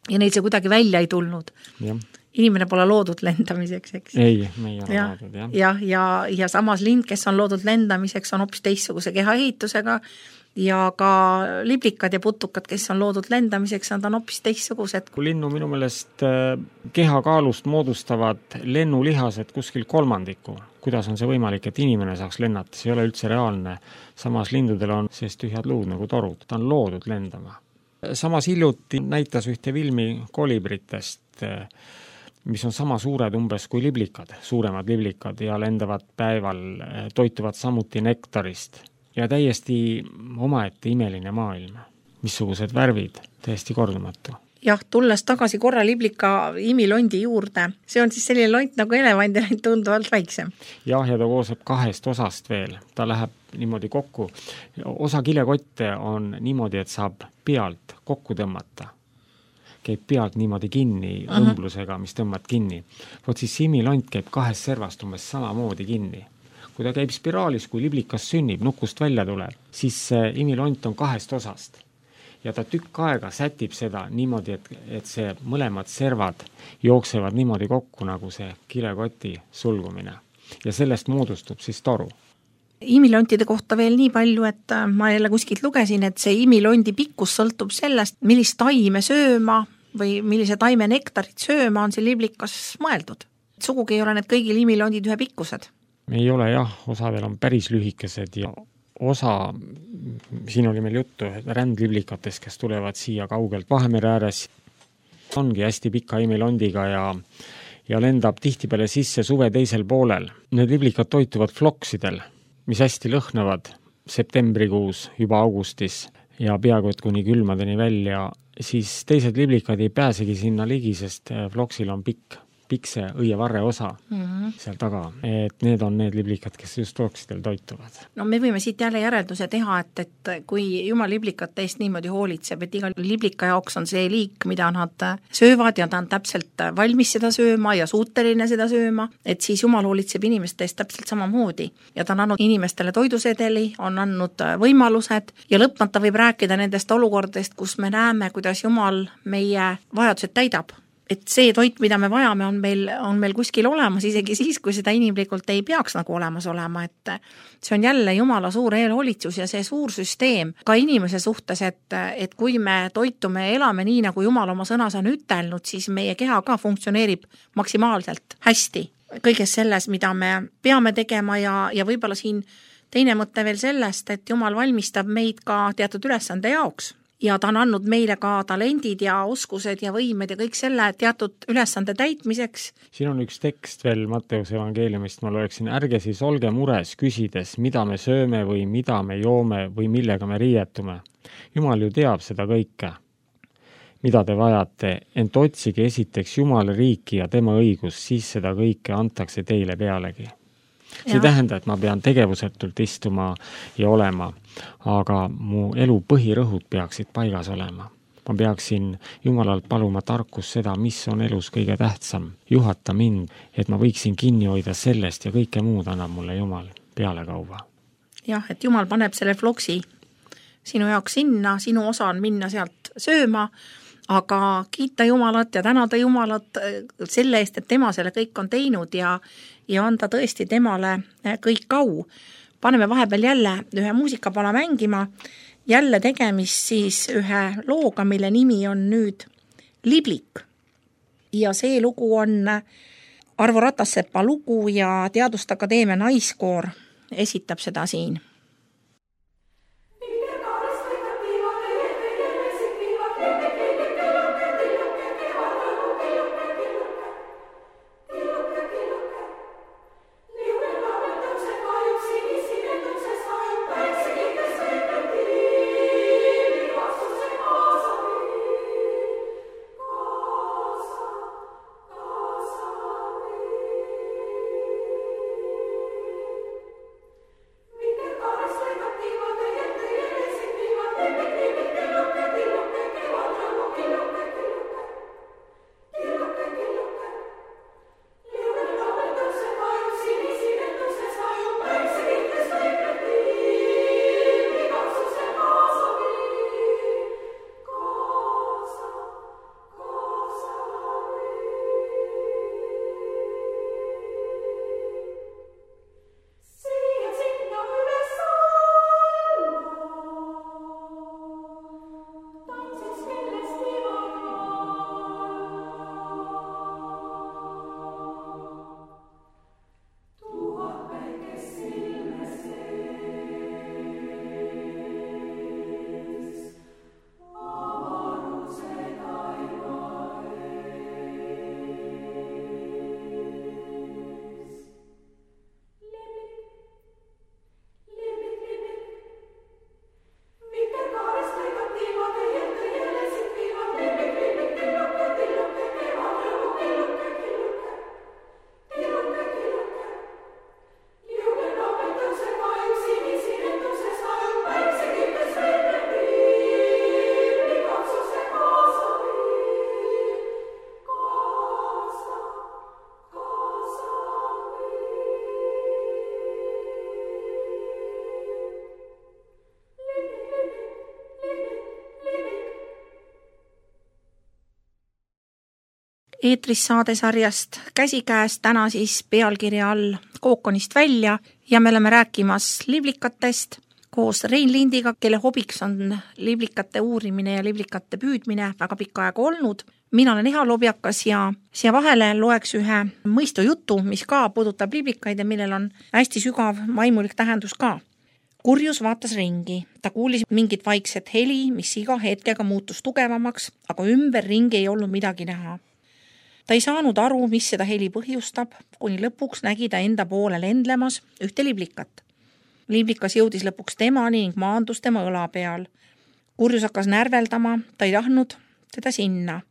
S2: ja neil see kuidagi välja ei tulnud.
S3: Ja.
S2: Inimene pole loodud lendamiseks, eks?
S3: Ei, me ei ole ja, loodud, jah.
S2: Ja, ja, ja samas lind, kes on loodud lendamiseks, on hoopis teistsuguse kehaehitusega ja ka liblikad ja putukad, kes on loodud lendamiseks, nad on hoopis teistsugused.
S3: Kui linnu minu meelest kehakaalust moodustavad lennulihased kuskil kolmandiku, kuidas on see võimalik, et inimene saaks lennata, see ei ole üldse reaalne. Samas lindudel on sees tühjad luud nagu torud, ta on loodud lendama. Samas hiljuti näitas ühte filmi kolibritest, mis on sama suured umbes kui liblikad, suuremad liblikad ja lendavad päeval, toituvad samuti nektarist. Ja täiesti omaette imeline maailm, missugused värvid, täiesti kordumatu.
S2: Jah, tulles tagasi korra liblika imilondi juurde, see on siis selline lont nagu elevandi lont tunduvalt väiksem.
S3: Jah, ja ta kooseb kahest osast veel, ta läheb niimoodi kokku. Osa kilekotte on niimoodi, et saab pealt kokku tõmmata. käib pealt niimoodi kinni uh -huh. õmblusega, mis tõmbad kinni. Vot siis imilont käib kahest servast umbes samamoodi kinni. Kui ta käib spiraalis, kui liblikas sünnib, nukust välja tuleb, siis imilont on kahest osast. Ja ta tükk aega sätib seda niimoodi, et, et see mõlemad servad jooksevad niimoodi kokku, nagu see kilekoti sulgumine. Ja sellest moodustub siis toru.
S2: Imilontide kohta veel nii palju, et ma jälle kuskilt lugesin, et see imilondi pikkus sõltub sellest, millist taime sööma või millise taime nektarit sööma on see liblikas mõeldud. Sugugi ei ole need kõigil imilondid ühe pikkused.
S3: Ei ole jah, osadel on päris lühikesed ja osa, siin oli meil juttu rändliblikatest, kes tulevad siia kaugelt Vahemere ääres, ongi hästi pika imilondiga ja, ja lendab tihtipeale sisse suve teisel poolel. Need liblikad toituvad floksidel, mis hästi lõhnavad septembrikuus, juba augustis ja peaaegu et kuni külmadeni välja, siis teised liblikad ei pääsegi sinna ligi, sest floksil on pikk. pikse õievarre osa mm -hmm. seal taga, et need on need liblikad, kes just floksidel toituvad.
S2: No me võime siit jälle järelduse teha, et, et kui Jumal liblikate eest niimoodi hoolitseb, et iga liblika jaoks on see liik, mida nad söövad ja ta on täpselt valmis seda sööma ja suuteline seda sööma, et siis Jumal hoolitseb inimeste eest täpselt samamoodi ja ta on andnud inimestele toidusedeli, on andnud võimalused ja lõpmata võib rääkida nendest olukordadest, kus me näeme, kuidas Jumal meie vajadused täidab. Et see toit, mida me vajame, on meil, on meil kuskil olemas, isegi siis, kui seda inimlikult ei peaks nagu olemas olema, et see on jälle Jumala suur eelhoolitsus ja see suur süsteem ka inimese suhtes, et, et kui me toitume ja elame nii, nagu Jumal oma sõnas on ütelnud, siis meie keha ka funktsioneerib maksimaalselt hästi kõiges selles, mida me peame tegema ja, ja võib-olla siin teine mõte veel sellest, et Jumal valmistab meid ka teatud ülesande jaoks. Ja ta on andnud meile ka talendid ja oskused ja võimed ja kõik selle teatud ülesande täitmiseks.
S3: Siin on üks tekst veel Matteuse evangeeliumist, ma loeksin, ärge siis olge mures küsides, mida me sööme või mida me joome või millega me riietume. Jumal ju teab seda kõike, mida te vajate, ent otsige esiteks Jumala riiki ja tema õigus, siis seda kõike antakse teile pealegi. See ja. tähenda, et ma pean tegevusetult istuma ja olema, aga mu elu põhirõhud peaksid paigas olema. Ma peaksin Jumalalt paluma tarkus seda, mis on elus kõige tähtsam. Juhata mind, et ma võiksin kinni hoida sellest ja kõike muud annab mulle Jumal pealekauva.
S2: Jah, et Jumal paneb selle floksi sinu jaoks sinna, sinu osa on minna sealt sööma, aga kiita Jumalat ja tänada Jumalat selle eest, et tema selle kõik on teinud ja, ja anda tõesti temale kõik au. Paneme vahepeal jälle ühe muusikapala mängima, jälle tegemist siis ühe looga, mille nimi on nüüd Liblik. Ja see lugu on Arvo Ratassepa lugu ja Teaduste Akadeemia naiskoor esitab seda siin.
S1: Mikä
S2: eetris saadesarjast Käsikäes, täna siis pealkirja all Kookonist välja ja me oleme rääkimas liblikatest koos Rein Lindiga, kelle hobiks on liblikate uurimine ja liblikate püüdmine väga pikka aega olnud. Mina olen Eha Lobjakas ja siia vahele loeks ühe mõistujutu, mis ka puudutab liblikaid ja millel on hästi sügav vaimulik tähendus ka. Kurjus vaatas ringi. Ta kuulis mingit vaikset heli, mis iga hetkega muutus tugevamaks, aga ümber ringi ei olnud midagi näha. Ta ei saanud aru, mis seda heli põhjustab, kuni lõpuks nägi ta enda poole lendlemas ühte liblikat. Liblikas jõudis lõpuks temani ning maandus tema õla peal. Kurjus hakkas närveldama, ta ei tahtnud teda sinna.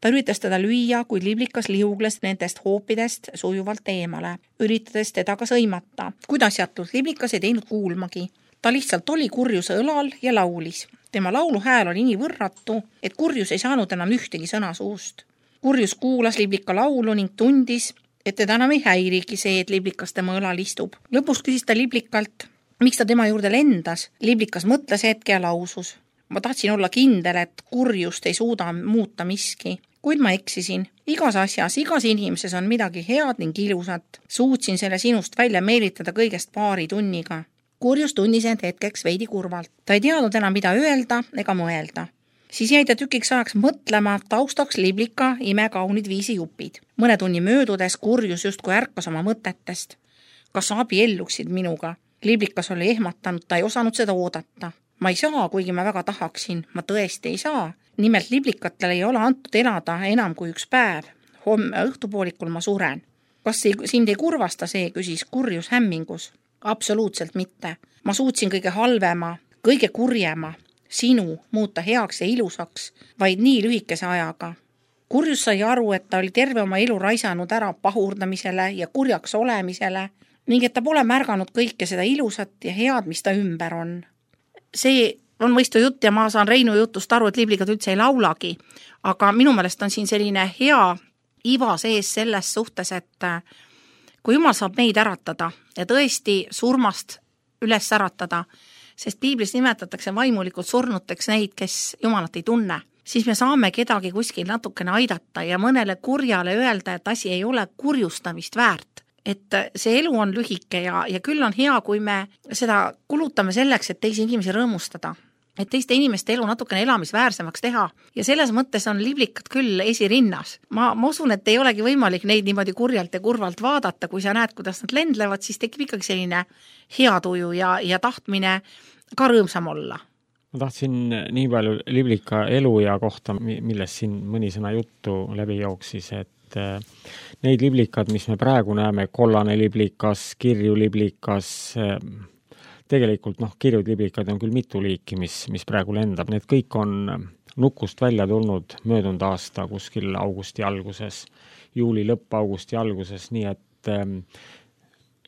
S2: Ta üritas teda lüüa, kuid liblikas liugles nendest hoopidest sujuvalt eemale, üritades teda ka sõimata. Kuid asjatult liblikas ei teinud kuulmagi. Ta lihtsalt oli Kurjuse õlal ja laulis. Tema laulu hääl oli nii võrratu, et Kurjus ei saanud enam ühtegi sõna suust. Kurjus kuulas liblika laulu ning tundis, et teda enam ei häirigi see, et liblikas tema õlal istub. Lõpus küsis ta liblikalt, miks ta tema juurde lendas. Liblikas mõtles hetke ja lausus. Ma tahtsin olla kindel, et Kurjust ei suuda muuta miski. Kuid ma eksisin. Igas asjas, igas inimeses on midagi head ning ilusat. Suutsin selle sinust välja meelitada kõigest paari tunniga. Kurjus tunnis end hetkeks veidi kurvalt. Ta ei teadnud enam, mida öelda ega mõelda. Siis jäi ta tükiks ajaks mõtlema taustaks liblika imekaunid viisi jupid. Mõne tunni möödudes Kurjus justkui ärkas oma mõtetest. Kas abielluksid minuga? Liblikas oli ehmatanud, ta ei osanud seda oodata. Ma ei saa, kuigi ma väga tahaksin. Ma tõesti ei saa. Nimelt liblikatele ei ole antud elada enam kui üks päev. Homme õhtupoolikul ma suren. Kas sind ei kurvasta see, küsis Kurjus hämmingus? Absoluutselt mitte. Ma suutsin kõige halvema, kõige kurjema, sinu muuta heaks ja ilusaks, vaid nii lühikese ajaga. Kurjus sai aru, et ta oli terve oma elu raisanud ära pahurdamisele ja kurjaks olemisele ning et ta pole märganud kõike seda ilusat ja head, mis ta ümber on. See on mõistu jutt ja ma saan Reinu jutust aru, et liblikad üldse ei laulagi, aga minu meelest on siin selline hea iva sees selles suhtes, et kui Jumal saab meid äratada ja tõesti surmast üles äratada, sest piiblis nimetatakse vaimulikult surnuteks neid, kes Jumalat ei tunne, siis me saame kedagi kuskil natukene aidata ja mõnele kurjale öelda, et asi ei ole kurjustamist väärt. Et see elu on lühike ja, ja küll on hea, kui me seda kulutame selleks, et teisi inimesi rõõmustada. Et teiste inimeste elu natukene elamisväärsemaks teha ja selles mõttes on liblikad küll esirinnas. Ma, ma usun, et ei olegi võimalik neid niimoodi kurjalt ja kurvalt vaadata, kui sa näed, kuidas nad lendlevad, siis tekib ikkagi selline hea tuju ja, ja tahtmine ka rõõmsam olla.
S3: Ma tahtsin nii palju liblika elu ja kohta, millest siin mõni sõna juttu läbi jooksis, et neid liblikad, mis me praegu näeme, kollane liblikas, kirju liblikas, tegelikult noh, kirjud liblikad on küll mitu liiki, mis, mis praegu lendab. Need kõik on nukust välja tulnud möödunud aasta kuskil augusti alguses, juuli lõpp, augusti alguses, nii et,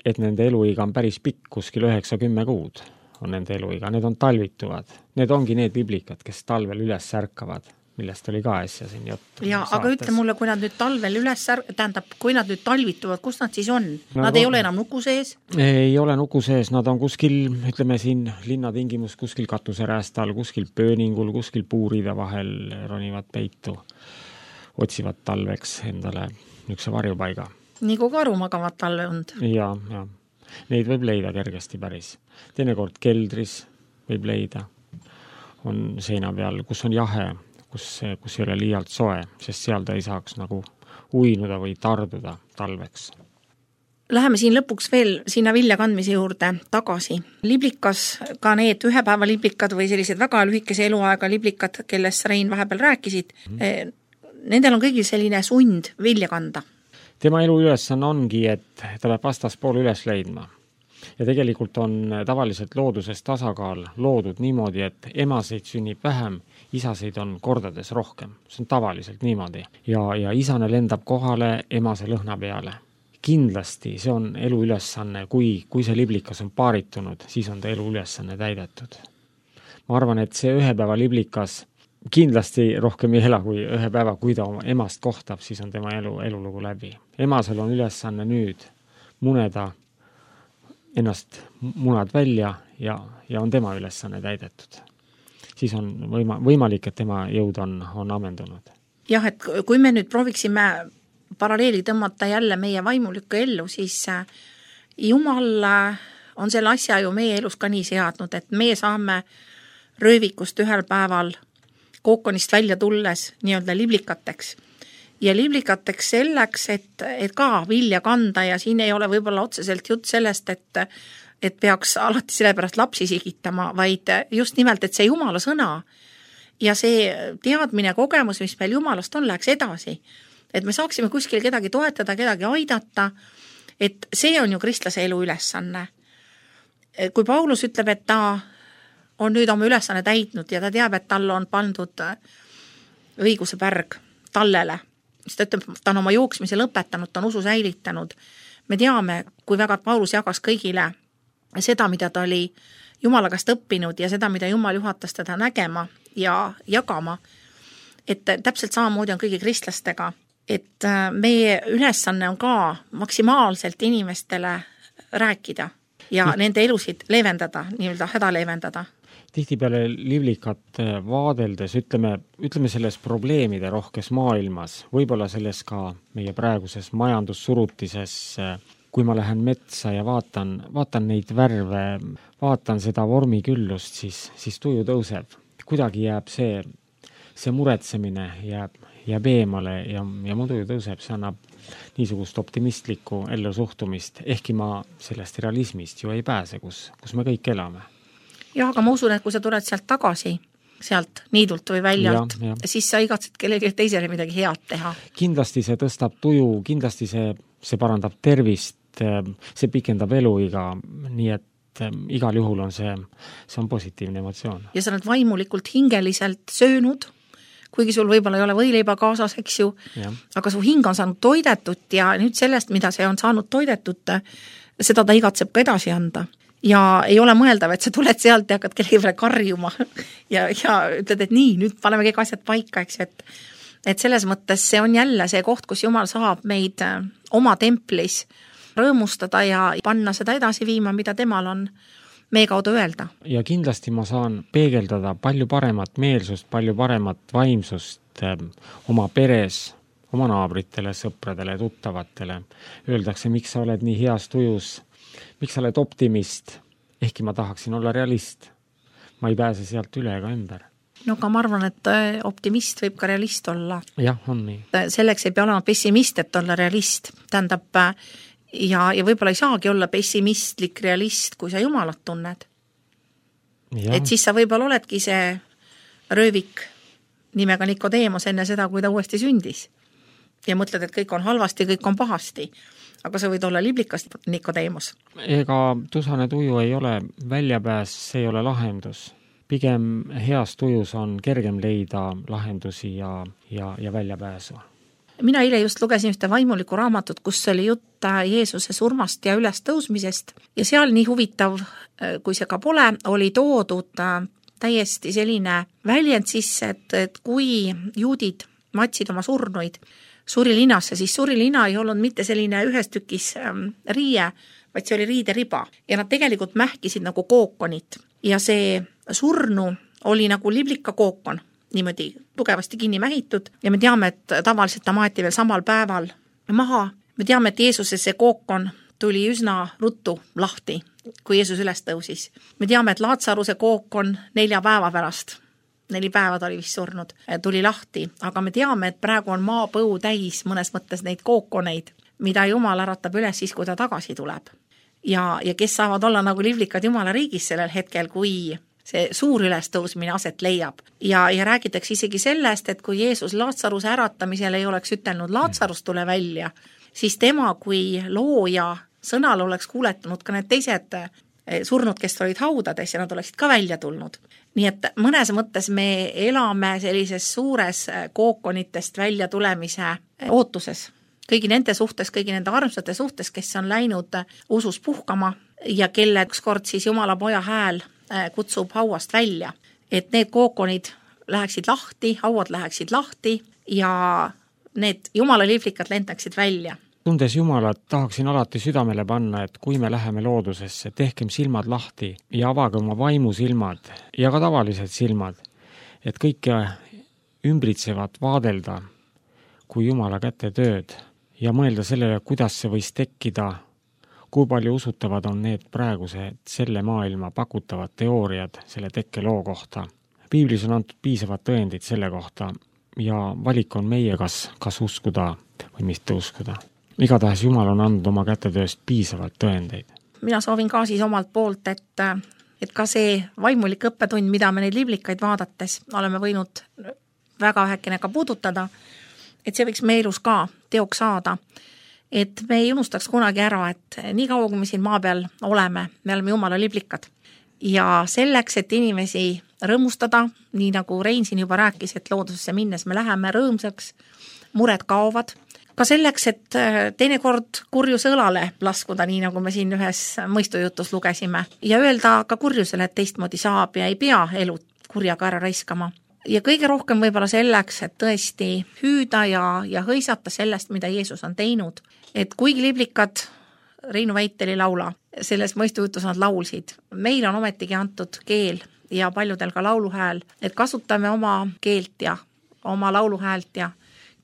S3: et nende eluiga on päris pikk, kuskil üheksa-kümme kuud on nende eluiga. Need on talvituvad. Need ongi need liblikad, kes talvel üles särkavad, millest oli ka äsja siin juttu.
S2: Ja, aga ütle mulle, kui nad nüüd talvel üles sär... tähendab, kui nad nüüd talvituvad, kus nad siis on? Nad no, ei ole enam nuku sees?
S3: Ei ole nuku sees, nad on kuskil, ütleme siin linnatingimus, kuskil katuseräästal, kuskil pööningul, kuskil puuride vahel ronivad peitu, otsivad talveks endale niisuguse varjupaiga.
S2: Nii kui karu magavad talve und.
S3: Ja, ja. Neid võib leida kergesti päris. Teinekord keldris võib leida. On seina peal, kus on jahe, kus, kus ei ole liialt soe, sest seal ta ei saaks nagu uinuda või tarduda talveks.
S2: Läheme siin lõpuks veel sinna vilja kandmise juurde tagasi. Liblikas, ka need ühe päeva liblikad või sellised väga lühikese eluaega liblikad, kellest Rein vahepeal rääkisid, mm. nendel on kõigil selline sund vilja kanda.
S3: Tema elu ülesanne ongi, et ta peab vastaspool üles leidma. Ja tegelikult on tavaliselt looduses tasakaal loodud niimoodi, et emaseid sünnib vähem, isaseid on kordades rohkem. See on tavaliselt niimoodi. Ja, ja isane lendab kohale emase lõhna peale. Kindlasti see on elu ülesanne, kui, kui see liblikas on paaritunud, siis on ta elu ülesanne täidetud. Ma arvan, et see ühe päeva liblikas kindlasti rohkem ei ela kui ühe päeva, kui ta oma emast kohtab, siis on tema elu, elulugu läbi. Emasel on ülesanne nüüd muneda ennast munad välja ja, ja on tema ülesanne täidetud. Siis on võima, võimalik, et tema jõud on, on amendunud.
S2: jah, et kui me nüüd prooviksime paralleeli tõmmata jälle meie vaimulikku ellu, siis Jumal on selle asja ju meie elus ka nii seadnud, et meie saame röövikust ühel päeval kookonist välja tulles nii-öelda liblikateks. Ja liblikateks selleks, et, et ka vilja kanda ja siin ei ole võib-olla otseselt jutt sellest, et, et peaks alati sellepärast lapsi sigitama, vaid just nimelt, et see Jumala sõna ja see teadmine, kogemus, mis meil Jumalast on, läheks edasi. Et me saaksime kuskil kedagi toetada, kedagi aidata, et see on ju kristlase elu ülesanne. Kui Paulus ütleb, et ta on nüüd oma ülesanne täitnud ja ta teab, et tal on pandud õiguse pärg tallele, siis ta ütleb, ta on oma jooksmise lõpetanud, ta on usu säilitanud. Me teame, kui väga Paulus jagas kõigile seda, mida ta oli Jumala käest õppinud ja seda, mida Jumal juhatas teda nägema ja jagama, et täpselt samamoodi on kõigi kristlastega, et meie ülesanne on ka maksimaalselt inimestele rääkida ja mm. nende elusid leevendada, nii-öelda häda leevendada.
S3: Tihtipeale livlikat vaadeldes, ütleme, ütleme selles probleemide rohkes maailmas, võib-olla selles ka meie praeguses majandussurutises, kui ma lähen metsa ja vaatan, vaatan neid värve, vaatan seda vormiküllust, siis, siis tuju tõuseb. Kuidagi jääb see, see muretsemine jääb, jääb eemale ja, ja mu tuju tõuseb, see annab niisugust optimistlikku ellu suhtumist, ehkki ma sellest realismist ju ei pääse, kus, kus me kõik elame.
S2: Jah, aga ma usun, et kui sa tuled sealt tagasi, sealt niidult või väljalt, ja, ja. siis sa igatsed kellelegi teisele midagi head teha. Kindlasti
S3: see tõstab tuju, kindlasti see, see parandab tervist, see pikendab eluiga, nii et igal juhul on see, see on positiivne emotsioon.
S2: Ja sa oled vaimulikult hingeliselt söönud, kuigi sul võib-olla ei ole võileiba kaasas, eks ju, ja. Aga su hing on saanud toidetut ja nüüd sellest, mida see on saanud toidetut, seda ta igatseb ka edasi anda. Ja ei ole mõeldav, et sa tuled sealt ja hakkad kellegi karjuma ja, ja ütled, et nii, nüüd paneme kõik asjad paika, eks, et, et selles mõttes see on jälle see koht, kus Jumal saab meid oma templis rõõmustada ja panna seda edasi viima, mida temal on meie kaudu öelda.
S3: Ja kindlasti ma saan peegeldada palju paremat meelsust, palju paremat vaimsust oma peres, oma naabritele, sõpradele, tuttavatele. Öeldakse, miks sa oled nii heas tujus, miks sa oled optimist, ehkki ma tahaksin olla realist. Ma ei pääse sealt üle ega ümber.
S2: No aga ma arvan, et optimist võib ka realist olla.
S3: Jah, on nii.
S2: Selleks ei pea olema pessimist, et olla realist. Tähendab, ja, ja võib-olla ei saagi olla pessimistlik realist, kui sa Jumalat tunned. Ja. Et siis sa võib-olla oledki see röövik nimega Nikodeemos enne seda, kui ta uuesti sündis. Ja mõtled, et kõik on halvasti, kõik on pahasti. Aga sa võid olla liblikas Nikodeemos.
S3: Ega tusane tuju ei ole väljapääs, see ei ole lahendus. Pigem heas tujus on kergem leida lahendusi ja, ja, ja väljapääsu.
S2: Mina eile just lugesin ühte vaimulikku raamatut, kus oli jutt Jeesuse surmast ja ülestõusmisest. Ja seal nii huvitav, kui see ka pole, oli toodud täiesti selline väljend sisse, et, et kui juudid matsid oma surnuid surilinasse, siis surilina ei olnud mitte selline ühes tükis riie, vaid see oli riideriba. Ja nad tegelikult mähkisid nagu kookonit. Ja see surnu oli nagu liblika kookon, niimoodi tugevasti kinni mähitud. Ja me teame, et tavaliselt ta maeti veel samal päeval maha. Me teame, et Jeesuse see kookon tuli üsna ruttu lahti, kui Jeesus üles tõusis. Me teame, et Laatsaruse kookon nelja päeva pärast, neli päevad oli vist surnud, tuli lahti. Aga me teame, et praegu on maapõu täis mõnes mõttes neid kookoneid, mida Jumal äratab üles siis, kui ta tagasi tuleb. Ja, ja kes saavad olla nagu livlikad Jumala riigis sellel hetkel, kui see suur ülestõusmine aset leiab. Ja, ja räägitakse isegi sellest, et kui Jeesus Laatsaruse äratamisel ei oleks ütelnud Laatsarus tule välja, siis tema kui looja sõnal oleks kuuletunud ka need teised surnud, kes olid haudades ja nad oleksid ka välja tulnud. Nii et mõnes mõttes me elame sellises suures kookonitest välja tulemise ootuses. Kõigi nende suhtes, kõigi nende armsate suhtes, kes on läinud usus puhkama ja kelle ükskord siis Jumala poja hääl kutsub hauast välja. Et need kookonid läheksid lahti, hauad läheksid lahti ja need Jumala livlikad lentaksid välja.
S3: Tundes Jumalat tahaksin alati südamele panna, et kui me läheme loodusesse, tehkem silmad lahti ja avage oma vaimusilmad ja ka tavalised silmad, et kõike ümbritsevat vaadelda kui Jumala kätetööd ja mõelda sellele, kuidas see võis tekkida, kui palju usutavad on need praegused selle maailma pakutavad teooriad selle tekkeloo kohta. Piiblis on antud piisavad tõendid selle kohta ja valik on meie, kas, kas uskuda või mitte uskuda. Igatahes Jumal on andnud oma kätetööst piisavalt tõendeid.
S2: Mina soovin ka siis omalt poolt, et, et ka see vaimulik õppetund, mida me neid liblikaid vaadates oleme võinud väga vähekene ka puudutada, et see võiks meie elus ka teoks saada. Et me ei unustaks kunagi ära, et nii kaua, kui me siin maa peal oleme, me oleme Jumala liblikad. Ja selleks, et inimesi rõõmustada, nii nagu Rein siin juba rääkis, et loodusesse minnes me läheme rõõmsaks, mured kaovad, ka selleks, et teinekord kurjuse õlale laskuda, nii nagu me siin ühes mõistujutus lugesime, ja öelda ka kurjusele, et teistmoodi saab ja ei pea elu kurjaga ära raiskama. Ja kõige rohkem võib-olla selleks, et tõesti hüüda ja, ja hõisata sellest, mida Jeesus on teinud. Et kuigi liblikad Reinu väitel ei laula, selles mõistujutus nad laulsid. Meil on ometigi antud keel ja paljudel ka lauluhääl, et kasutame oma keelt ja oma lauluhäält ja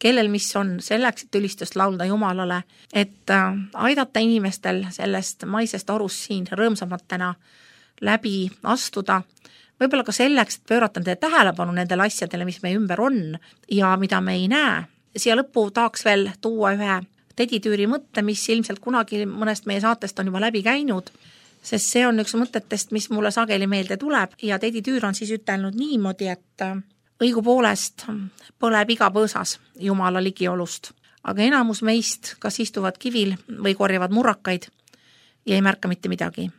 S2: kellel mis on selleks, et ülistust laulda Jumalale, et aidata inimestel sellest maisest orust siin rõõmsamatena läbi astuda, võib-olla ka selleks, et pöörata nende tähelepanu nendele asjadele, mis meie ümber on ja mida me ei näe. Siia lõppu tahaks veel tuua ühe Teditüüri mõtte, mis ilmselt kunagi mõnest meie saatest on juba läbi käinud, sest see on üks mõtetest, mis mulle sageli meelde tuleb ja Teditüür on siis ütelnud niimoodi, et õigupoolest põleb iga põõsas Jumala ligiolust, aga enamus meist kas istuvad kivil või korjavad murrakaid ja ei märka mitte midagi.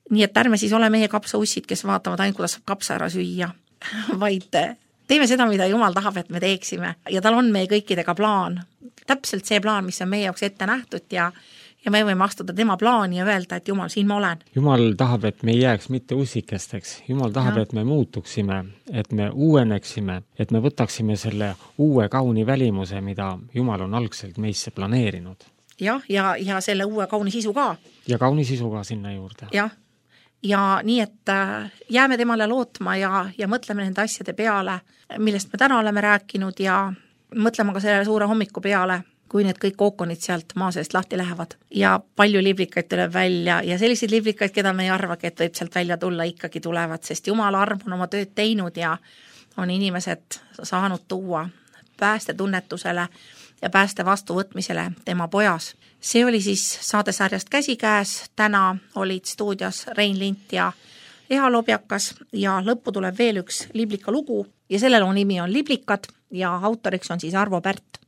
S2: Nii et ärme siis ole meie kapsaussid, kes vaatavad ainult, kuidas saab kapsa ära süüa, vaid teeme seda, mida Jumal tahab, et me teeksime ja tal on meie kõikidega plaan. Täpselt see plaan, mis on meie jaoks ette nähtud ja ja me võime astuda tema plaani ja öelda, et Jumal, siin ma olen.
S3: Jumal tahab, et me ei jääks mitte usikesteks. Jumal tahab, ja. et me muutuksime, et me uueneksime, et me võtaksime selle uue kauni välimuse, mida Jumal on algselt meisse planeerinud.
S2: Jah, ja, ja selle uue kauni sisu ka.
S3: Ja kauni sisu ka sinna juurde.
S2: Jah, ja nii, et jääme temale lootma ja, ja mõtleme nende asjade peale, millest me täna oleme rääkinud ja mõtleme ka selle suure hommiku peale, kui need kõik ookonid sealt maa seest lahti lähevad. Ja palju liblikaid tuleb välja ja selliseid liblikaid, keda me ei arvagi, et võib sealt välja tulla, ikkagi tulevad, sest Jumala arm on oma tööd teinud ja on inimesed saanud tuua päästetunnetusele ja pääste vastuvõtmisele tema pojas. See oli siis saadesarjast Käsikäes, täna olid stuudios Rein Lint ja Eha Lobjakas ja lõppu tuleb veel üks liblika lugu ja selle loo nimi on Liblikad ja autoriks on siis Arvo Pärt.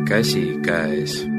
S1: käsikäes.